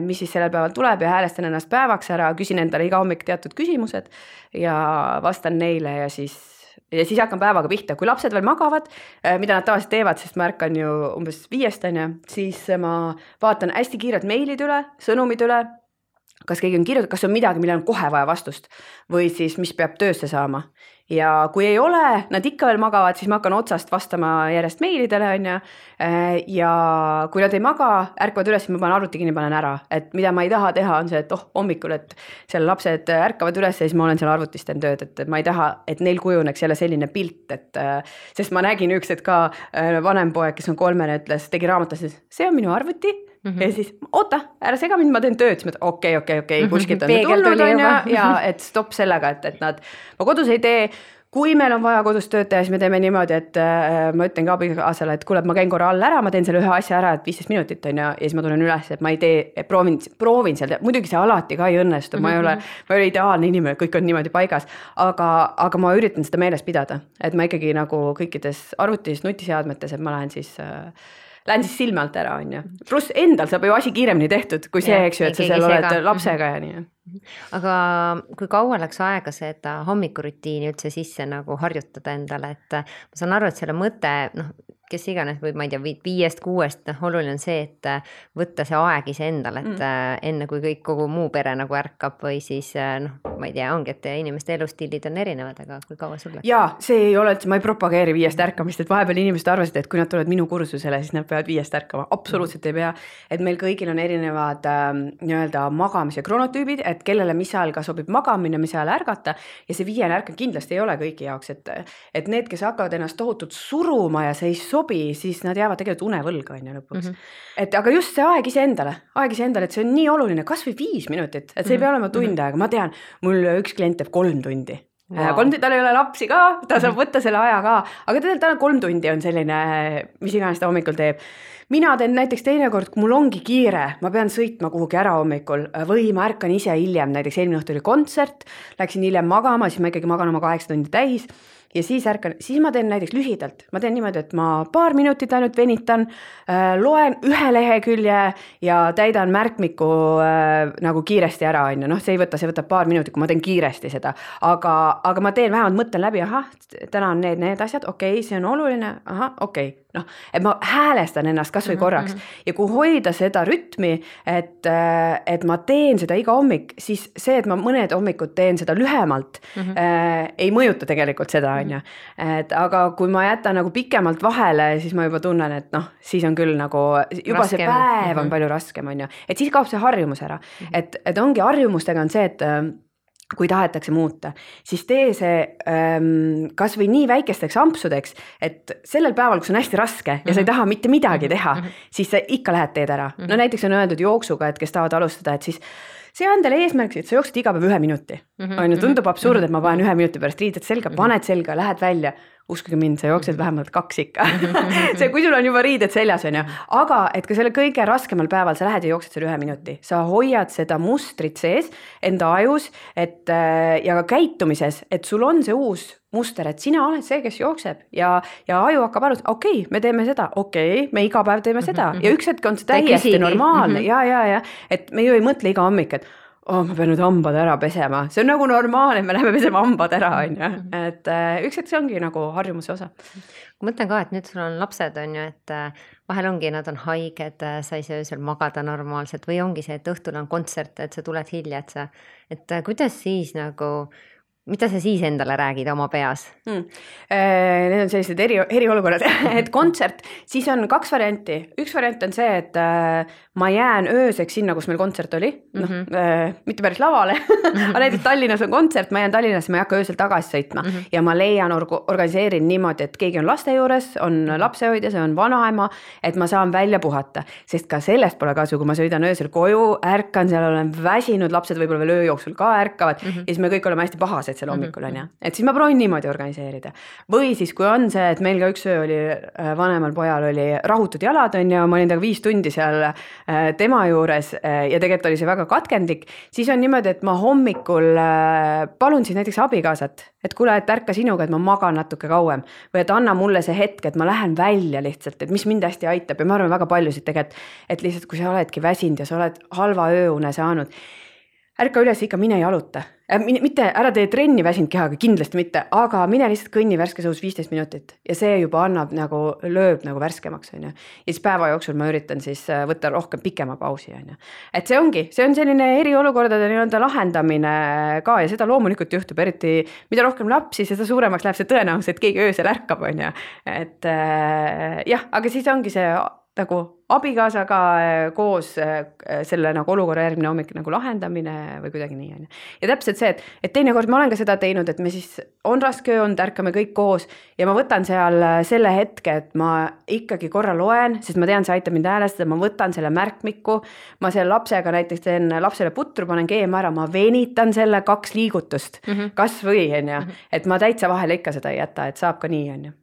mis siis sellel päeval tuleb ja häälestan ennast päevaks ära, küsin endale iga hommik teatud küsimused ja vastan neile ja siis hakkan päevaga pihta. Kui lapsed veel magavad, mida nad tavaliselt teevad, sest ma ärkan ju umbes 5, on ju, siis ma vaatan hästi kiirelt meilid üle, sõnumid üle, kas keegi on kirjutatud, kas on midagi, millel on kohe vaja vastust või siis mis peab töösse saama. Ja kui ei ole, nad ikka veel magavad, siis ma hakkan otsast vastama järjest meilidele, on ju. Ja kui nad ei maga, ärkavad üles, siis ma panen arvuti kinni, panen ära. Et mida ma ei taha teha, on see, et hommikul, et seal lapsed ärkavad üles ja siis ma olen seal arvutis teen tööd, et ma ei taha, et neil kujuneks jälle selline pilt, et sest ma nägin üks, et ka vanem poeg, kes on 3, ütles, tegi raamatus, see on minu arvuti. Ja siis, oota, ära sega mind, ma teen tööd, siis ma okei, kuskilt on tulnud on ja et stopp sellega, et ma kodus ei tee, kui meil on vaja kodus tööd teha, siis me teeme niimoodi, et ma ütlen ka abikaasale, et kuule, ma käin korra all ära, ma teen selle ühe asja ära, et 15 minutit on ja siis ma tulen üles, et ma ei tee, proovin seal, muidugi see alati ka ei õnnestu, ma ei ole ideaalne inimene, kõik on niimoodi paigas, aga ma üritan seda meeles pidada, et ma ikkagi nagu kõikides arvutis, nutiseadmetes, et ma lähen siis silme alt ära, on ju. Pluss endal saab ju asi kiiremini tehtud, kui see, eks ju, et sa seal oled lapsega ja nii. Aga kui kaua läks aega seda hommikurutiini üldse sisse nagu harjutada endale, et ma saan aru, et selle mõte, kes iganes või ma ei tea, 5-6, oluline on see, et võtta see aeg ise endale, et enne kui kõik kogu muu pere nagu ärkab või siis ma ei tea, ongi, et inimeste elustiilid on erinevad, aga kui kaua sul läks? Jaa, see ei ole, ma ei propageeri 5 ärkamist, et vahepeal inimesed arvasid, et kui nad tulevad minu kursusele, siis nad peavad 5 ärkama. Absoluutselt ei pea, et meil kõigil on erinevad nii-öelda magamise kronotüübid, et kellele mis ajal ka sobib magamine, mis ajal ärgata ja see 5 ärk kindlasti ei ole kõigi jaoks, et need, kes hakkavad ennast tohutult suruma ja see ei sobi, siis nad jäävad tegelikult unevõlga lõpuks. Et aga just see aeg ise endale, et see on nii oluline, kas või 5 minutit, et see ei pea olema tund aega, ma tean, mul üks klient teeb 3 tundi. Wow. 3 tundi, tal ei ole lapsi ka, ta saab võtta selle aja ka, aga tal 3 tundi on selline, mis iganes ta hommikul teeb. Mina teen näiteks teinekord, kui mul ongi kiire, ma pean sõitma kuhugi ära hommikul või ma ärkan ise hiljem, näiteks eelmine õhtu oli kontsert, läksin hiljem magama, siis ma ikkagi magan oma 8 tundi täis ja siis ma teen näiteks lühidalt, ma teen niimoodi, et ma 2 minutit ainult venitan, loen 1 lehekülje ja täidan märkmiku nagu kiiresti ära, see võtab 2 minutit, kui ma teen kiiresti seda, aga ma teen vähemalt mõtlen läbi, täna on need asjad, okei, see on oluline, okei. Et ma häälestan ennast kas või korraks ja kui hoida seda rütmi, et ma teen seda iga hommik, siis see, et ma mõned hommikud teen seda lühemalt, ei mõjuta tegelikult seda, aga kui ma jätan nagu pikemalt vahele, siis ma juba tunnen, et siis on küll nagu, juba raskem. See päev on palju raskem, et siis kaob see harjumus ära, et ongi harjumustega on see, et kui tahetakse muuta, siis tee see kas või nii väikesteks ampsudeks, et sellel päeval, kus on hästi raske ja sa ei taha mitte midagi teha, siis sa ikka lähed teed ära. No näiteks on öeldud jooksuga, et kes tahavad alustada, et siis see on teile eesmärk, et sa jooksed iga päev 1 minuti. Tundub absurd, et ma panen 1 minuti pärast riided selga, paned selga, lähed välja. Uskuge mind, sa jooksed vähemalt 2 ikka. See, kui sul on juba riided seljas, aga et ka selle kõige raskemal päeval sa lähed ja jooksed selle 1 minuti. Sa hoiad seda mustrit sees enda ajus ja ka käitumises, et sul on see uus muster, et sina oled see, kes jookseb ja aju hakkab arvama, okei, me teeme seda, me iga päev teeme seda ja üks hetk on see täiesti normaalne ja, et me ju ei mõtle iga hommik, et ma pean nüüd hambad ära pesema. See on nagu normaalne, me läheme pesema hambad ära, et üks hetk see ongi nagu harjumuse osa. Ma mõtlen ka, et nüüd sul on lapsed, et vahel ongi, nad on haiged, sa ei saa öösel magada normaalselt või ongi see, et õhtul on kontsert, et sa tuled hilja, et kuidas siis nagu, mida sa siis endale räägid oma peas? Need on sellised eriolukorrad, et kontsert, siis on 2 varianti. Üks variant on see, et ma jään ööseks sinna, kus meil kontsert oli, mitte päris lavale, aga näiteks Tallinnas on kontsert, ma jään Tallinnasse, ma ei hakka öösel tagasi sõitma ja ma leian, organiseerin niimoodi, et keegi on laste juures, on lapsehoidja, see on vanaema, et ma saan välja puhata, sest ka sellest pole kasu, kui ma sõidan öösel koju, ärkan, seal olen väsinud, lapsed võib-olla veel öö jooksul ka ärkavad ja siis me kõik oleme hästi pahased selle hommikul, et siis ma proovin niimoodi organiseerida. Või siis, kui on see, et meil ka üks öö oli, vanemal pojal oli rahutud jalad, ma olin taga 5 tundi seal tema juures ja tegelikult oli see väga katkendlik, siis on niimoodi, et ma hommikul palun siis näiteks abikaasat, et kuule, et ärka sinuga, et ma magan natuke kauem või et anna mulle see hetk, et ma lähen välja lihtsalt, et mis mind hästi aitab ja ma arvan väga paljusid tegelikult, et lihtsalt kui sa oledki väsinud ja sa oled halva ööune saanud, ärka üles ikka mine jaluta. Mitte ära tee trenni väsinud kehaga, kindlasti mitte, aga mine lihtsalt kõnni värskes õhus 15 minutit ja see juba annab nagu, lööb nagu värskemaks. Ja siis päeva jooksul ma üritan siis võtta rohkem pikema pausi. Et see on selline eriolukordade lahendamine ka ja seda loomulikult juhtub, eriti mida rohkem lapsi, seda suuremaks läheb see tõenäosus, et keegi öösel ärkab. Et jah, aga siis ongi see nagu abikaasaga koos selle nagu olukorra järgmine hommik nagu lahendamine või kuidagi nii. Ja täpselt see, et teinekord ma olen ka seda teinud, et me siis on raske öö olnud, ärkame kõik koos ja ma võtan seal selle hetke, et ma ikkagi korra loen, sest ma tean, see aitab mind häälestada, ma võtan selle märkmiku, ma selle lapsega näiteks teen lapsele putru, panen keema ära, ma venitan selle 2 liigutust, kas või, et ma täitsa vahele ikka seda ei jäta, et saab ka nii,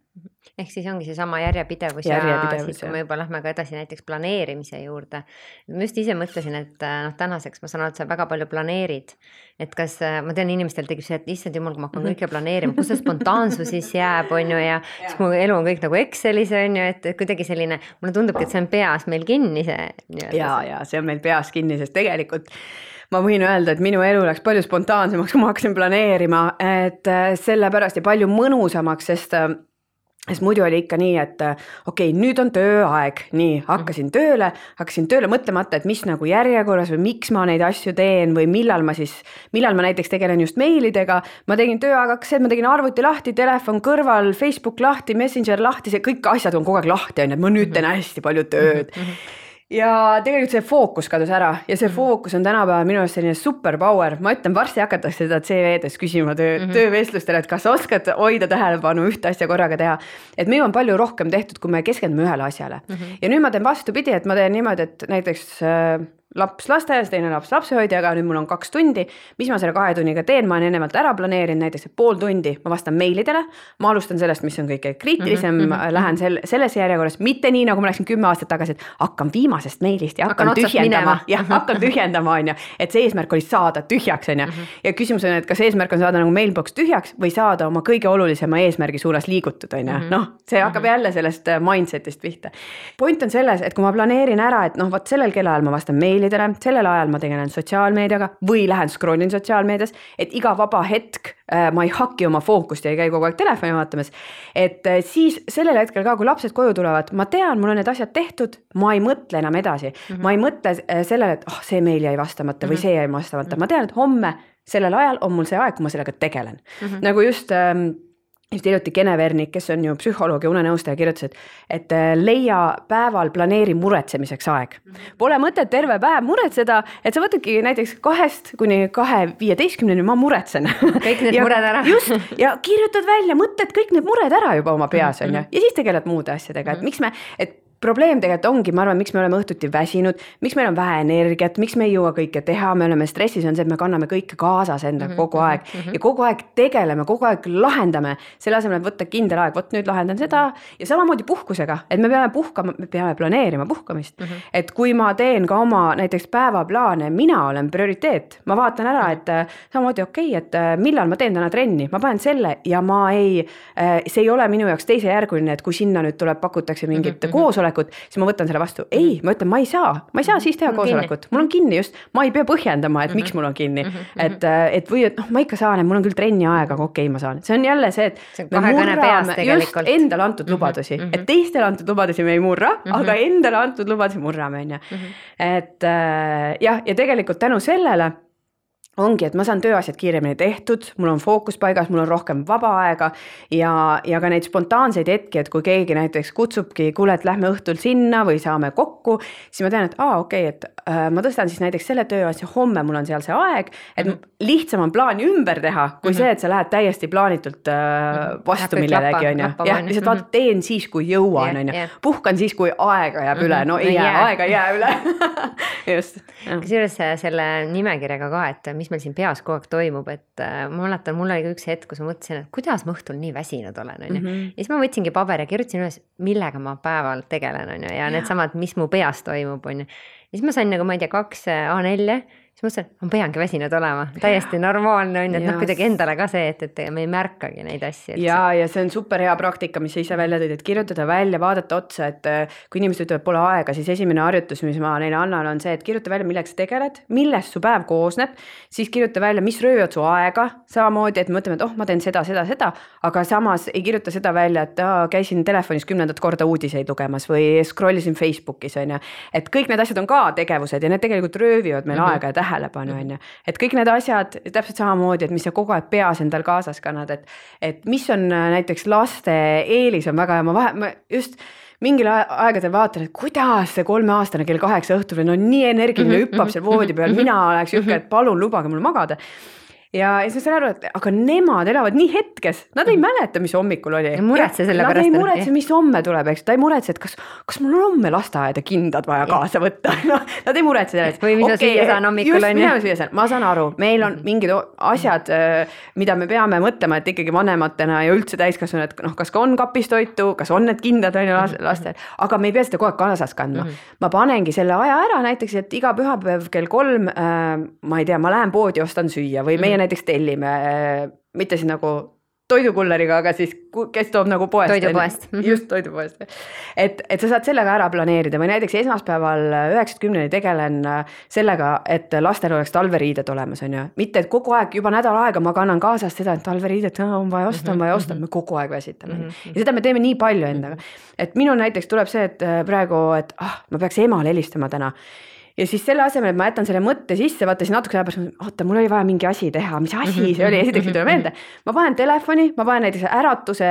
Ehk siis ongi see sama järjepidevus ja siis kui me juba lähme ka edasi näiteks planeerimise juurde. Ma just ise mõtlesin, et tänaseks ma saan aru, et sa väga palju planeerid. Et kas, ma tean inimestel tegib see, et issand jumal, kui ma hakkan kõike planeerima, kus see spontaansus siis jääb, ja siis mu elu on kõik nagu Excelis, et kuidagi selline, mulle tundubki, et see on peas meil kinni see. Ja see on meil peas kinni, sest tegelikult ma võin öelda, et minu elu läks palju spontaansemaks, kui ma hakkasin planeerima, et sellepärast ja palju mõnusamaks, sest sest muidu oli ikka nii, et okei, nüüd on tööaeg, nii, hakkasin tööle mõtlemata, et mis nagu järjekorras või miks ma neid asju teen või millal ma näiteks tegelen just meilidega, ma tegin tööaeg, ma tegin arvuti lahti, telefon kõrval, Facebook lahti, Messenger lahti, see kõik asjad on kogu aeg lahti, on, et ma nüüd teen hästi palju tööd. Ja tegelikult see fookus kadus ära ja see fookus on tänapäeval minu arust selline superpower. Ma ütlen, varsti hakatakse seda CV-des küsima töövestlustele, et kas oskad hoida tähelepanu ühte asja korraga teha. Et meil on palju rohkem tehtud, kui me keskendume ühele asjale. Ja nüüd ma teen vastupidi, et ma teen niimoodi, et näiteks laps lasteaias, teine laps lapsehoidjaga, nüüd mul on 2 tundi, mis ma selle 2 tunniga teen, ma olen ennemalt ära planeerinud, näiteks pool tundi ma vastan meilidele, ma alustan sellest, mis on kõige kriitilisem, lähen selles järjekorras, mitte nii, nagu ma läksin 10 aastat tagasi, et hakkan viimasest meilist ja hakkan tühjendama, on ju, et see eesmärk oli saada tühjaks, on ju, ja küsimus on, et kas eesmärk on saada nagu mailbox tühjaks või saada oma kõige olulisema eesmärgi suunas liigutud, on ju, noh, see hakkab jälle sellest mindsetist pihta. Point on selles, et kui ma planeerin ära, et noh, võt sellel kellaajal ma vastan meilidele, sellel ajal ma tegelen sotsiaalmeediaga või lähen scrollin sotsiaalmeedias, et iga vaba hetk ma ei haki oma fookust ja ei käi kogu aeg telefoni vaatamas, et siis sellel hetkel ka, kui lapsed koju tulevad, ma tean, mul on need asjad tehtud, ma ei mõtle enam edasi, ma ei mõtle sellele, et see meil jäi vastamata või see jäi vastamata, ma tean, et homme sellel ajal on mul see aeg, kui ma sellega tegelen. Nagu just hiljuti Kene Vernik, kes on ju psühholoog ja unenõustaja, kirjutas, et leia päeval planeeri muretsemiseks aeg. Pole mõtet terve päev muretseda, et sa võtadki näiteks 2 kuni 2:15 ma muretsen. Kõik need mured ära. Just, ja kirjutad välja, mõtled kõik need mured ära juba oma peas, on ju, ja siis tegeled muude asjadega, et miks et probleem tegelikult ongi, ma arvan, miks me oleme õhtuti väsinud, miks meil on vähe energiat, miks me ei jõua kõike teha, me oleme stressis, on see, et me kanname kõike kaasas enda kogu aeg ja kogu aeg tegeleme, kogu aeg lahendame, selle asemel, et võtta kindel aeg, võt nüüd lahendan seda ja samamoodi puhkusega, et me peame puhkama, me peame planeerima puhkamist, et kui ma teen ka oma näiteks päevaplaane, mina olen prioriteet, ma vaatan ära, et samamoodi et millal ma teen täna trenni, ma panen selle ja see ei ole minu jaoks teisejärguline, et kui sinna nüüd pakutakse mingit koosolekut, siis ma võtan selle vastu. Ei, ma ütlen, ma ei saa siis teha koosolekut. Mul on kinni just, ma ei pea põhjendama, et miks mul on kinni. Et või, et ma ikka saan, et mul on küll trenni aega, aga okei, ma saan. See on jälle see, et me murrame just endale antud lubadusi. Et teistele antud lubadusi me ei murra, aga endale antud lubadusi murrame. Et ja tegelikult tänu sellele ongi, et ma saan tööasjad kiiremini tehtud, mul on fookus paigas, mul on rohkem vaba aega ja ka neid spontaanseid hetki, et kui keegi näiteks kutsubki, kuule, et lähme õhtul sinna või saame kokku, siis ma tean, et et ma tõstan siis näiteks selle tööasja, homme mul on seal see aeg, et lihtsam on plaani ümber teha, kui see, et sa lähed täiesti plaanitult vastu millelegi, on ju. Ja lihtsalt vaatad, teen siis, kui jõuan, on ju. Puhkan siis, kui aega jääb üle, no ei jää, aega ei jää üle. Just. Kusjuures selle nimekirjaga ka, et mis meil siin peas kogu aeg toimub, et ma mäletan, mul oli üks hetk, kus ma mõtlesin, et kuidas ma õhtul nii väsinud olen, on ju. Ja siis ma võtsingi paberi ja kirjutasin üles, millega ma päeval tegelen, on ju, ja need samad, mis mu peas toimub, on ju. Ja siis ma sain nagu, ma ei tea, 2 A4, siis mõtlesin, et ma peangi väsinud olema. Täiesti normaalne on, et kuidagi endale ka see, et me ei märkagi neid asju. Ja see on super hea praktika, mis sa ise välja tõid, et kirjutada välja, vaadata otsa, et kui inimesed ütlevad, pole aega, siis esimene harjutus, mis ma neile annan, on see, et kirjuta välja, millega sa tegeled, millest su päev koosneb, siis kirjuta välja, mis röövad su aega, samamoodi, et mõtleme, et ma teen seda, aga samas ei kirjuta seda välja, et käisin telefonis 10. korda uudiseid lugemas või scrollisin Facebookis, on ju. Et kõik need asjad on ka tegevused ja need tegelikult röövivad meil aega ja tähelepanu, on ju. Et kõik need asjad täpselt samamoodi, et mis sa kogu aeg peas endal kaasas kannad, et mis on näiteks laste eelis on väga, ma just mingil aegadel vaatan, et kuidas see 3-aastane kell 8 õhtul on nii energiline, hüppab seal voodi peal, mina oleks jõhke, et palun lubage mul magada. Ja siis ma saan aru, et aga nemad elavad nii hetkes, nad ei mäleta, mis hommikul oli. Muretse selle pärast. Nad ei muretse, mis homme tuleb, eks. Ta ei muretse, et kas mul on homme lasteaeda kindad vaja kaasa võtta. No, nad ei muretse selle. Või mis süüa saan hommikul on. Ma saan aru, meil on mingid asjad, mida me peame mõtlema, et ikkagi vanematena ja üldse täiskasvanud, et kas on kapistoitu, kas on need kindad on lastel, aga me ei pea seda kogu aeg kaasas kandma. Ma panengi selle aja ära näiteks, et iga pühapäev kell 3, ma ei tea, ma lähen poodi, ostan süüa või meie näiteks tellime, mitte siis nagu toidukulleriga, aga siis kes toob nagu poest. Toidupoest. Just toidupoest. Et sa saad sellega ära planeerida või näiteks esmaspäeval 9-10 tegelen sellega, et lastel oleks talveriided olemas, on ju. Mitte, et kogu aeg juba nädal aega ma kannan kaasast seda, et talveriidet on vaja osta, me kogu aeg väsitame. Ja seda me teeme nii palju endaga. Et minul näiteks tuleb see, et praegu, et ma peaks emale helistama täna. Ja siis selle asemel, et ma jätan selle mõtte sisse, vaata siis natuke aja pärast, oota, mul oli vaja mingi asi teha, mis asi see oli, esiteks ei tule meelde. Ma panen telefoni, ma panen näiteks äratuse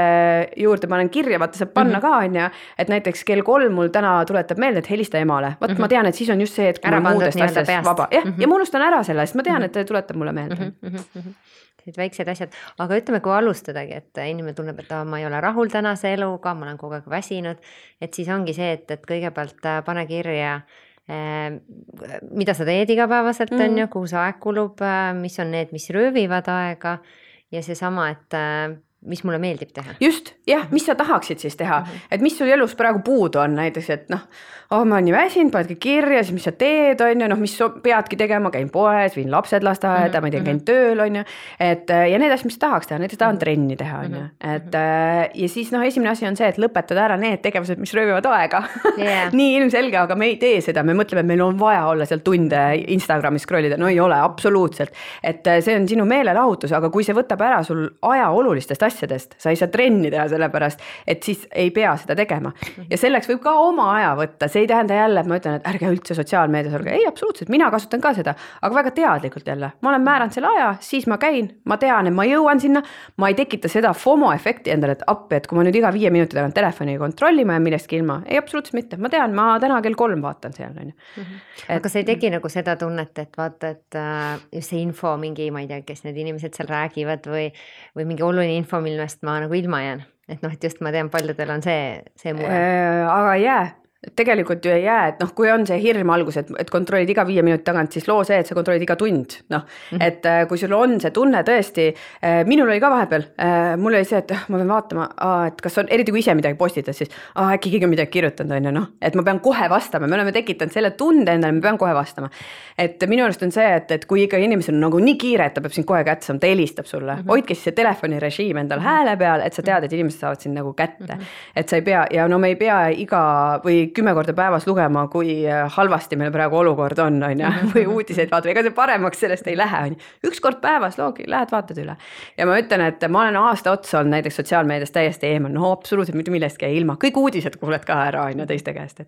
juurde, panen kirja, vaata saab panna ka, on ja, et näiteks kell 3 mul täna tuletab meelde, et helista emale. Vaat ma tean, et siis on just see, et kui ma muudest asjast vaba. Ja ma unustan ära selle, sest ma tean, et tuletab mulle meelde. Sellised väiksed asjad, aga ütleme, kui alustadagi, et inimene tunneb, et ma ei ole rahul tänase eluga, ma olen kogu aeg väsinud, et siis ongi see, et kõigepealt pane kirja, mida sa teed igapäevaselt on ju, kuhu see aeg kulub, mis on need, mis röövivad aega ja see sama, et mis mulle meeldib teha. Just, jah, mis sa tahaksid siis teha, et mis sul elus praegu puudu on näiteks, et ma olen nii väsinud, panedki kirja, siis mis sa teed, on ju, mis peadki tegema, käin poes, viin lapsed lasteaeda, ma ei tea, käin tööl, on ju, et ja need asjad, mis tahaks teha, näiteks tahan trenni teha, on ju, et ja siis esimene asi on see, et lõpetada ära need tegevused, mis röövivad aega. Nii ilmselge, aga me ei tee seda, me mõtleme, et meil on vaja olla seal tunde Instagramis scrollida, no ei ole, absoluutselt, et see on sinu meelelahutus, aga kui see võtab ära sul aja olulistest asjadest, sa ei saa trenni teha sellepärast, et siis ei pea seda tegema. Ja selleks võib ka oma aja võtta, see ei tähenda jälle, et ma ütlen, et ärge üldse sotsiaalmeedias olge. Ei, absoluutselt, mina kasutan ka seda, aga väga teadlikult jälle. Ma olen määranud selle aja, siis ma käin, ma tean, et ma jõuan sinna, ma ei tekita seda FOMO efekti endale, et appi, et kui ma nüüd iga 5 minuti tagant telefoni kontrollima ja millestki ilma. Ei, absoluutselt mitte. Ma tean, ma täna kell 3 vaatan seal. Aga see ei teki nagu seda tunnet, et vaata, et just see info mingi, ma ei tea, kes need inimesed seal räägivad või mingi oluline info, millest ma nagu ilma jään. Et et just ma tean, paljudel on see mure. Aga jää. Tegelikult ju ei jää, et kui on see hirm algus, et kontrollid iga 5 minuti tagant, siis loo see, et sa kontrollid iga tund. Et kui sul on see tunne tõesti, minul oli ka vahepeal, mul oli see, et ma pean vaatama, et kas on, eriti kui ise midagi postitad, siis äkki keegi midagi kirjutanud on ja et ma pean kohe vastama, me oleme tekitanud selle tunde endale, me pean kohe vastama. Et minu arust on see, et kui ikka inimesel on nagu nii kiire, et ta peab sind kohe kätte saama, ta helistab sulle, hoidke siis see telefonirežiim endal hääle peal, et sa tead, et inimesed saavad sind nagu kätte. Et sa ei pea, ja me ei pea iga või 10 korda päevas lugema, kui halvasti meil praegu olukord on ja, või uudiseid vaata, ega see paremaks sellest ei lähe. Üks kord päevas loogi, lähed vaatad üle. Ja ma ütlen, et ma olen aasta otsa olnud näiteks sotsiaalmeedias täiesti eemal, absoluutselt mitte millestki ei ilma. Kõik uudised kuuled ka ära teiste käest.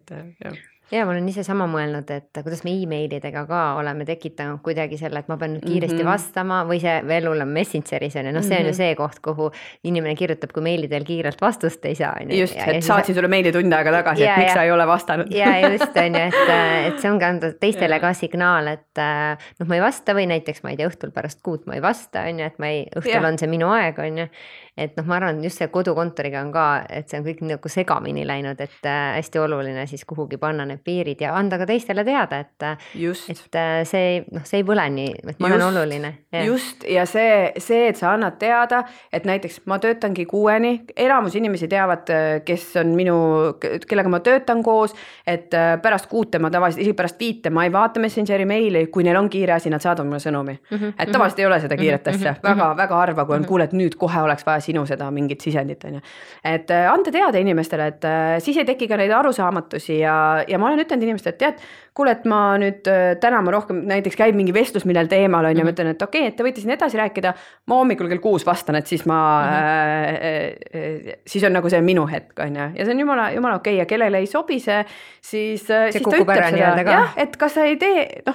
Ja ma olen ise sama mõelnud, et kuidas me e-mailidega ka oleme tekitanud kuidagi selle, et ma pean kiiresti vastama või see veel hullem Messengeris on. See on ju see koht, kuhu inimene kirjutab, kui meilidel kiirelt vastust ei saa. Just, et saatsin sulle meili tund aega tagasi, et miks sa ei ole vastanud. Ja just on ju, et see on ka anda teistele ka signaal, et ma ei vasta või näiteks ma ei tea, õhtul pärast 6 ma ei vasta, on ju, et õhtul on see minu aeg, on ju. Et ma arvan, just see kodukontoriga on ka, et see on kõik nagu segamini läinud, et hästi oluline siis kuhugi panna need piirid ja anda ka teistele teada, et see ei põle nii, et ma olen oluline. Just, ja see, et sa annad teada, et näiteks ma töötangi 6-ni, enamus inimesi teavad, kes on kellega ma töötan koos, et pärast 6 ma tavaliselt, isegi pärast 5 ma ei vaata Messengeri meili, kui neil on kiire asi, nad saadavad mulle sõnumi. Et tavaliselt ei ole seda kiiret asja, väga harva, kui on kuule, et nüüd kohe oleks vaja sinu seda mingit sisendit. Et anda teada inimestele, et siis ei teki ka neid arusaamatusi ja ma olen ütlenud inimestele, et tead, kuule, et ma nüüd täna ma rohkem näiteks käib mingi vestlus millel teemal on ja ma ütlen, et okei, et te võite siin edasi rääkida, ma hommikul kell 6 vastan, et siis siis on nagu see minu hetk on ja see on jumala okei ja kellele ei sobi see, siis ta ütleb seda, et kas sa ei tee,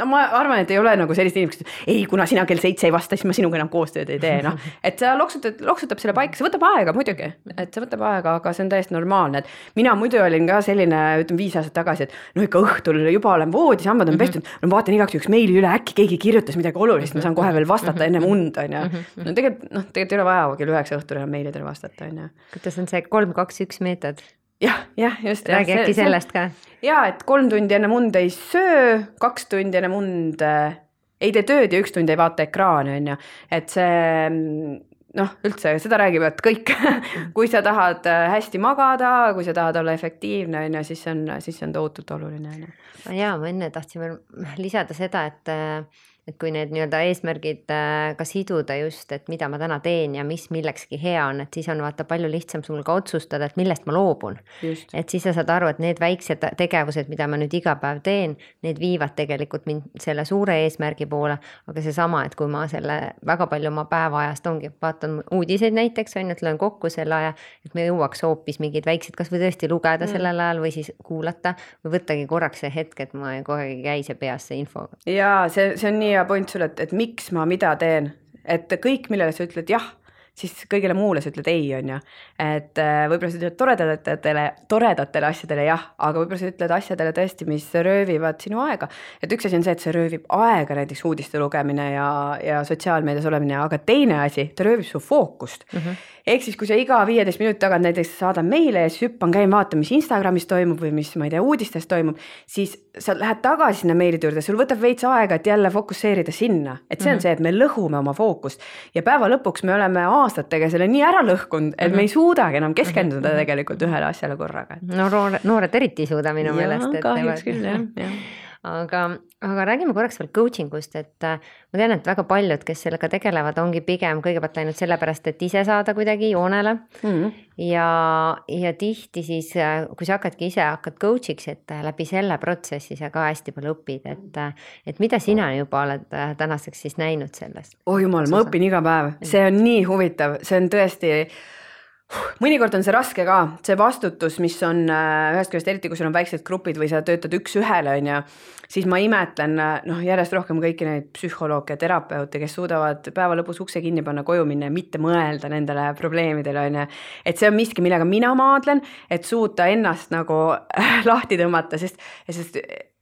ma arvan, et ei ole nagu sellist inimesed, ei, kuna sina kell 7 ei vasta, siis ma sinuga enam koostööd ei tee, et sa loksutab selle paika, see võtab aega muidugi, et see võtab aega, aga see on täiesti normaalne, et mina muidu olin ka selline, ütleme 5 aastat tagasi, et ikka õhtul juba olen voodis, hambad on pestud, vaatan igaks üks meili üle, äkki keegi kirjutas midagi olulist, ma saan kohe veel vastata enne und, on ja. Tegelikult ei ole vaja kell 9 õhtul enam meilidele vastata, on ja. Kuidas on see 3-2-1 meetod? Jah, just. Räägi äkki sellest ka. Ja, et 3 tundi enne mund ei söö, 2 tundi enne mund ei tee tööd ja 1 tund ei vaata ekraani, on ja. Et see, üldse, seda räägivad kõik. Kui sa tahad hästi magada, kui sa tahad olla efektiivne, on ja, siis on tohutult oluline. Ja, ma enne tahtsin veel lisada seda, et kui need nii-öelda eesmärgid ka siduda just, et mida ma täna teen ja mis millekski hea on, et siis on vaata palju lihtsam sul ka otsustada, et millest ma loobun. Et siis sa saad aru, et need väiksed tegevused, mida ma nüüd iga päev teen, need viivad tegelikult mind selle suure eesmärgi poole, aga seesama, et kui ma selle väga palju oma päevaajast ongi, vaatan uudiseid näiteks, on, et löön kokku selle aja, et me jõuaks hoopis mingid väiksed, kas või tõesti lugeda sellel ajal või siis kuulata või võttagi korraks see hetk, et ma kogu aeg ei käi see peas see info. Jaa, see on nii hea point sulle, et miks ma mida teen, et kõik, millele sa ütled jah, siis kõigile muule sa ütled ei, on ju. Et võib-olla sa ütled toredatele asjadele jah, aga võib-olla sa ütled asjadele tõesti, mis röövivad sinu aega. Et üks asi on see, et see röövib aega, näiteks uudiste lugemine ja sotsiaalmeedias olemine, aga teine asi, ta röövib su fookust. Ehk siis, kui sa iga 15 minuti tagant näiteks saadan meile ja siis hüppan käin vaata, mis Instagramis toimub või mis, ma ei tea, uudistes toimub, siis sa lähed tagasi sinna meilide juurde, sul võtab veits aega, et jälle fokusseerida sinna. Et see on see, et me lõhume oma fookust ja päeva lõpuks me oleme aastatega selle nii ära lõhkunud, et me ei suudagi enam keskenduda tegelikult ühele asjale korraga. No noored eriti ei suuda minu meelest. Kahjuks küll, jah. Aga räägime korraks veel coachingust, et ma tean, et väga paljud, kes sellega tegelevad, ongi pigem kõigepealt läinud sellepärast, et ise saada kuidagi joonele ja tihti siis, kui sa hakkad coach'iks, et läbi selle protsessi sa ka hästi palju õpid, et mida sina juba oled tänaseks siis näinud sellest? Oh jumal, ma õpin iga päev, see on nii huvitav, see on tõesti... Mõnikord on see raske ka, see vastutus, mis on ühest küljest, eriti kui sul on väiksed grupid või sa töötad üks ühele, on ja, siis ma imetlen järjest rohkem kõiki neid psühholooge ja terapeute, kes suudavad päeva lõpus ukse kinni panna, koju minna ja mitte mõelda nendele probleemidele, on ja. Et see on miski, millega mina maadlen, et suuta ennast nagu lahti tõmmata, sest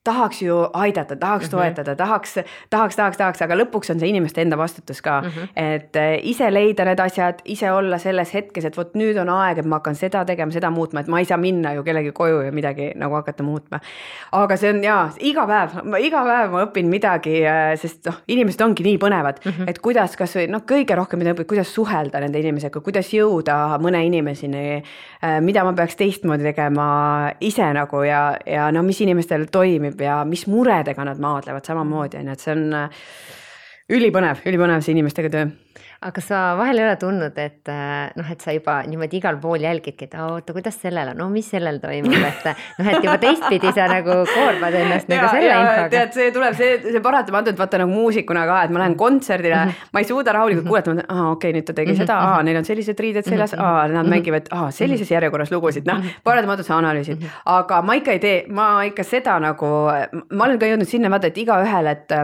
tahaks ju aidata, tahaks toetada, tahaks, aga lõpuks on see inimeste enda vastutus ka, et ise leida need asjad, ise olla selles hetkes, et võt nüüd on aeg, et ma hakkan seda tegema, seda muutma, et ma ei saa minna ju kellegi koju ja midagi nagu hakata muutma. Aga see on iga päev ma õpin midagi, sest inimesed ongi nii põnevad, et kuidas kas või, kõige rohkem mida õpid, kuidas suhelda nende inimesega, kuidas jõuda mõne inimesini, mida ma peaks teistmoodi tegema ise nagu ja mis inimestel toimib ja mis muredega nad maadlevad samamoodi, et see on ülipõnev see inimestega töö. Aga sa vahel ei ole tundnud, et sa juba niimoodi igal pool jälgidki, et oota, kuidas sellel on, mis sellel toimub, et juba teistpidi sa nagu koormad ennast nagu selle infoga. Tead, see tuleb, see paratamatult vaata nagu muusikuna ka, et ma lähen kontserdile, ma ei suuda rahulikult kuulata, okei, nüüd ta tegi seda, neil on sellised riided seljas, nad mängivad sellises järjekorras lugusid, paratamatult sa analüüsid, aga ma ikka ei tee, ma ikka seda nagu, ma olen ka jõudnud sinna vaata, et iga ühel, et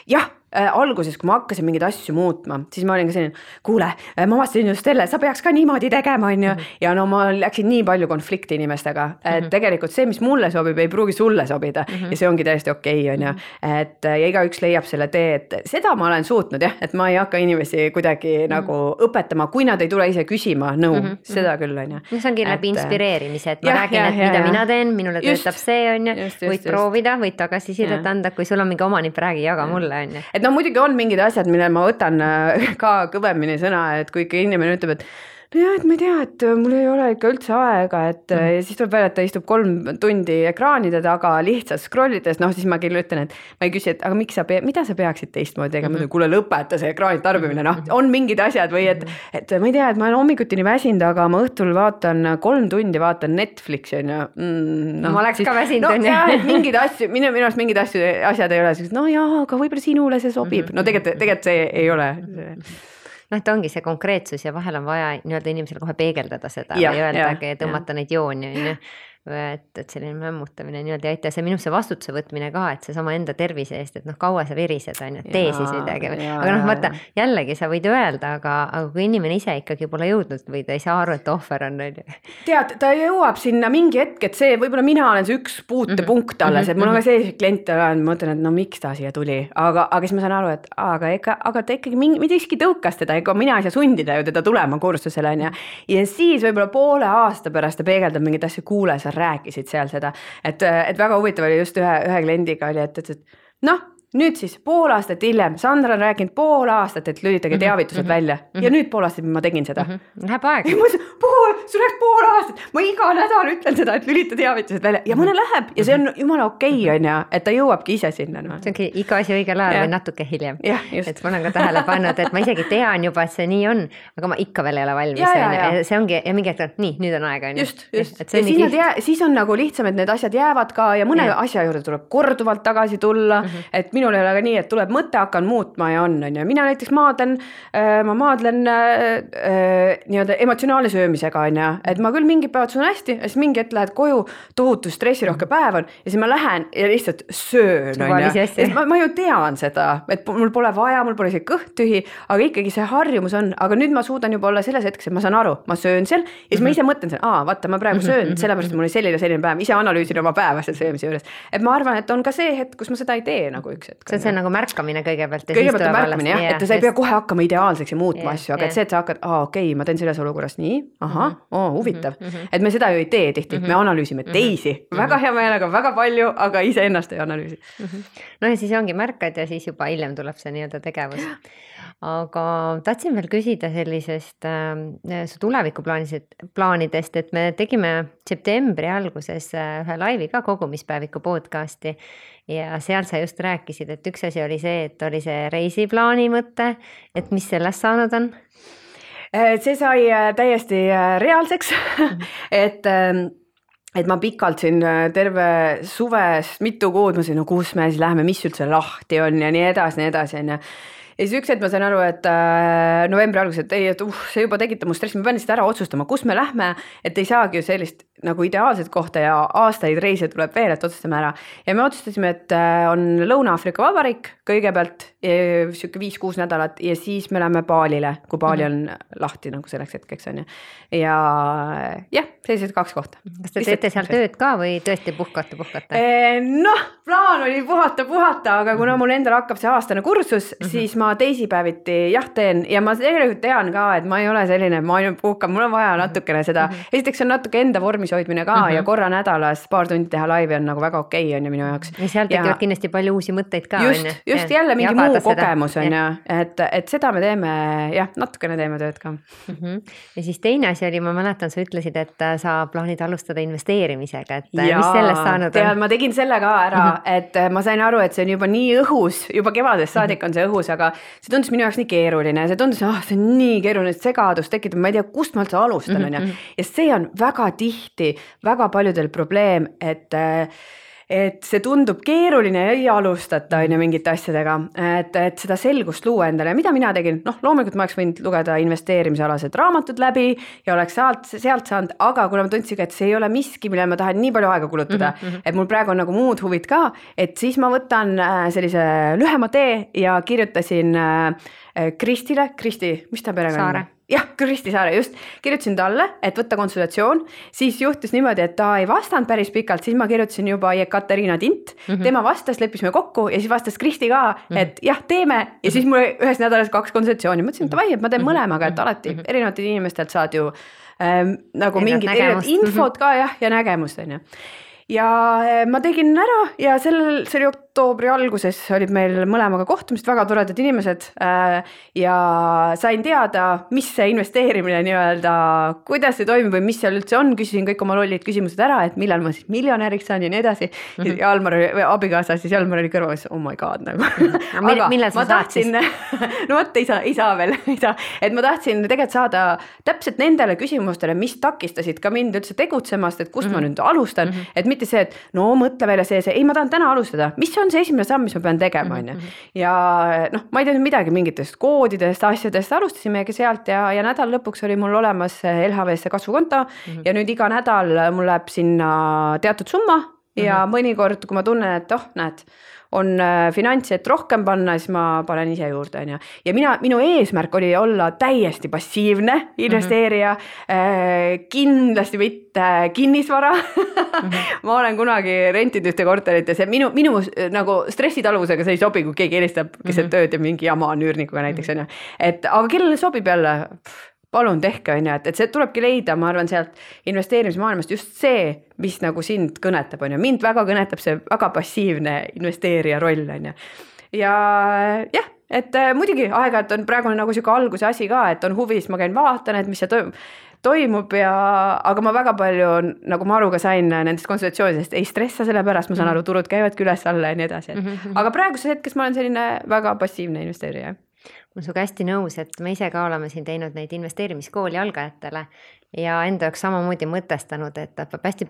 jah, alguses, kui ma hakkasin mingeid asju muutma, siis ma olin ka selline, kuule, ma vastasin just selle, sa peaks ka niimoodi tegema, on ju. Ja ma läksin nii palju konflikti inimestega, et tegelikult see, mis mulle sobib, ei pruugi sulle sobida ja see ongi täiesti okei, on ju. Et ja igaüks leiab selle tee, et seda ma olen suutnud, jah, et ma ei hakka inimesi kuidagi nagu õpetama, kui nad ei tule ise küsima nõu, seda küll, on ju. See ongi läbi inspireerimise, et ma räägin, et mida mina teen, minule töötab see, on ju, võid proovida, võid tagasisidet anda, kui sul on mingi omanipp, räägi, jaga mulle, on ju. Et muidugi on mingid asjad, mille ma võtan ka kõvemini sõna, et kui ikka inimene ütleb, et et ma ei tea, et mul ei ole ikka üldse aega, et ja siis tuleb välja, et ta istub 3 tundi ekraanide taga lihtsalt scrollides, siis ma küll ütlen, et ma ei küsi, et aga mida sa peaksid teistmoodi tegema, kuule lõpeta see ekraanid tarbimine, on mingid asjad või et ma ei tea, et ma olen hommikutini väsinud, aga ma õhtul vaatan 3 tundi vaatan Netflixi, on ju. Ma oleks ka väsinud, on ju. Et mingid asju, minu arust mingid asjad ei ole, aga võib-olla sinule see sobib, tegelikult see ei ole. Ta ongi see konkreetsus ja vahel on vaja nii-öelda inimesele kohe peegeldada seda või öeldagi, tõmmata neid jooni, on ju. Et selline mämmutamine nii-öelda ei aita, see minusse vastutuse võtmine ka, et see sama enda tervise eest, et kaua sa virised, on ju, tee siis midagi. Aga vaata, jällegi sa võid öelda, aga kui inimene ise ikkagi pole jõudnud või ta ei saa aru, et ohver on. Tead, ta jõuab sinna mingi hetk, et see, võib-olla mina olen see üks puutepunkt alles, et mul on ka see klient, ma mõtlen, et miks ta siia tuli, aga siis ma saan aru, et aga ta ikkagi midagi tõukas teda, ega mina ei saa sundida ju teda tulema kursusele, on ju. Ja siis võib-olla poole aasta pärast ta peegeldab mingit asja, kuule, sa rääkisid seal seda, et väga huvitav oli just ühe kliendiga oli, et nüüd siis pool aastat hiljem, Sandra on rääkinud pool aastat, et lülitage teavitused välja ja nüüd pool aastat ma tegin seda. Läheb aeg. Sul läks pool aastat, ma iga nädal ütlen seda, et lülita teavitused välja ja mõne läheb ja see on jumala okei, on ju, et ta jõuabki ise sinna. No. See ongi iga asi õigel ajal või natuke hiljem. Et ma olen ka tähele pannud, et ma isegi tean juba, et see nii on, aga ma ikka veel ei ole valmis. See ongi ja mingi hetk, nii, nüüd on aeg. Just. Ja siis on nagu lihtsam, et need asjad jäävad ka ja mõne asja juurde tuleb korduvalt tagasi tulla, et minul ei ole ka nii, et tuleb mõte, hakkan muutma ja on ju. Mina näiteks ma maadlen nii-öelda emotsionaalne söömisega, on ju, et ma küll mingid päevad söön hästi, ja siis mingi hetk lähed koju, tohutu stressirohke päev on ja siis ma lähen ja lihtsalt söön, on ju. Ma ju tean seda, et mul pole vaja, mul pole see kõht tühi, aga ikkagi see harjumus on, aga nüüd ma suudan juba olla selles hetkes, et ma saan aru, ma söön seal ja siis ma ise mõtlen seal, vaata, ma praegu söön, sellepärast mul oli selline päev, ise analüüsin oma päeva seal söömise juures. Et ma arvan, et on ka see hetk, kus ma seda ei tee nagu üks hetk. See on nagu märkamine kõigepealt. Kõigepealt on märkamine, jah, et sa ei pea kohe hakkama ideaalseks ja muutma asju, aga et see, et sa hakkad, okei, ma teen selles olukorras nii, huvitav. Et me seda ju ei tee tihti, me analüüsime teisi, väga hea meelega, väga palju, aga ise ennast ei analüüsi. No ja siis ongi märkad ja siis juba hiljem tuleb see nii-öelda tegevus. Aga tahtsin veel küsida sellisest su tulevikuplaanidest, et me tegime septembri alguses ühe laivi ka kogumispäeviku podcasti ja seal sa just rääkisid, et üks asi oli see, et oli see reisiplaani mõte, et mis sellest saanud on? See sai täiesti reaalseks, et ma pikalt siin terve suvest mitu kuud, ma sain, kus me siis läheme, mis üldse lahti on ja nii edasi, on ja siis üks hetk ma sain aru, et novembri alguses, et see juba tekitab mu stressi, ma pean lihtsalt ära otsustama, kus me lähme, et ei saagi ju sellist nagu ideaalset kohta ja aastaid reise tuleb veel, et otsustame ära. Ja me otsustasime, et on Lõuna-Aafrika Vabariik kõigepealt, 5-6 nädalat ja siis me läheme Balile, kui Bali on lahti nagu selleks hetkeks on. Ja sellised 2 kohta. Kas te teete seal tööd ka või tõesti puhkate? Noh, plaan oli puhata, aga kuna mul endal hakkab see aastane kursus, siis ma teisipäeviti teen ja ma tegelikult tean ka, et ma ei ole selline, ma ainult puhkan, mul on vaja natukene seda. Esiteks on natuke enda vormis hoidmine ka ja korra nädalas paar tundi teha laivi on nagu väga okei on ja minu jaoks. Ja seal tekivad kindlasti palju uusi mõtteid ka. Just jälle mingi muu kogemus on ja, et seda me teeme, natukene teeme tööd ka. Ja siis teine asi oli, ma mäletan, sa ütlesid, et sa plaanid alustada investeerimisega, et mis sellest saanud on? Ma tegin selle ka ära, et ma sain aru, et see on juba nii õhus, juba kevadest saadik on see õhus, aga see tundus minu jaoks nii keeruline, see tundus, see on nii keeruline, segadus tekitab, ma ei tea, kust ma üldse alustan on ja see on väga tihti väga paljudel probleem, et see tundub keeruline ja ei alustata mingite asjadega, et seda selgust luua endale. Mida mina tegin? Loomulikult ma oleks võinud lugeda investeerimisalased raamatud läbi ja oleks sealt saanud, aga kuna ma tundsin, et see ei ole miski, mille ma tahan nii palju aega kulutada, et mul praegu on nagu muud huvid ka, et siis ma võtan sellise lühema tee ja kirjutasin Kristile, mis ta perekond? Saare. Jah, Kristi Saare, just. Kirjutasin talle, et võtta konsultatsioon, siis juhtus niimoodi, et ta ei vastanud päris pikalt, siis ma kirjutasin juba Ekaterina Tint, tema vastas, leppisime kokku ja siis vastas Kristi ka, et teeme ja siis mul ühes nädalas 2 konsultatsiooni, mõtlesin, et vai, et ma teen mõlemaga, et alati erinevatelt inimestelt saad ju nagu mingid erinevad infot ka ja nägemust on ju. Ja ma tegin ära ja see oli oktoobri alguses, olid meil mõlemaga kohtumist, väga toredad inimesed ja sain teada, mis see investeerimine nii-öelda, kuidas see toimib või mis seal üldse on, küsisin kõik oma lollid küsimused ära, et millal ma siis miljonäriks saan ja nii edasi. Ja Almar, abikaasa, siis Almar oli kõrval, oh my god nagu. Aga millal sa saad siis? No võtta ei saa veel, et ma tahtsin tegelikult saada täpselt nendele küsimustele, mis takistasid ka mind üldse tegutsemast, et kust ma nüüd alustan, et mitte see, et mõtle välja see, ei ma tahan täna alustada, mis on see esimene samm, mis ma pean tegema on. Ja ma ei teadnud midagi mingitest koodidest, asjadest, alustasimegi sealt ja nädal lõpuks oli mul olemas LHV-sse kasvukonto ja nüüd iga nädal mul läheb sinna teatud summa ja mõnikord, kui ma tunnen, et näed, on finantsi, et rohkem panna, siis ma panen ise juurde. Ja minu eesmärk oli olla täiesti passiivne investeerija, kindlasti mitte kinnisvara. Ma olen kunagi rentinud ühte korterit ja see minu nagu stressitaluvusega see ei sobi, kui keegi helistab keset tööd ja mingi jama on üürnikuga näiteks. Aga kellele sobib jälle? Palun tehke, et see tulebki leida, ma arvan, sealt investeerimismaailmast just see, mis nagu sind kõnetab. Mind väga kõnetab see väga passiivne investeerija roll. ja jah, et muidugi aeg-ajalt on praegu nagu siuke alguse asi ka, et on huvi, siis ma käin vaatan, et mis see toimub aga ma väga palju, nagu ma aru ka sain nendest konsultatsioonidest, ei stressa selle pärast, ma saan aru, turud käivadki üles-alla ja nii edasi. Aga praeguses hetkes ma olen selline väga passiivne investeerija. Ma olen suga hästi nõus, et me ise ka oleme siin teinud neid investeerimiskooli algajatele ja enda jaoks samamoodi mõtestanud, et ta peab hästi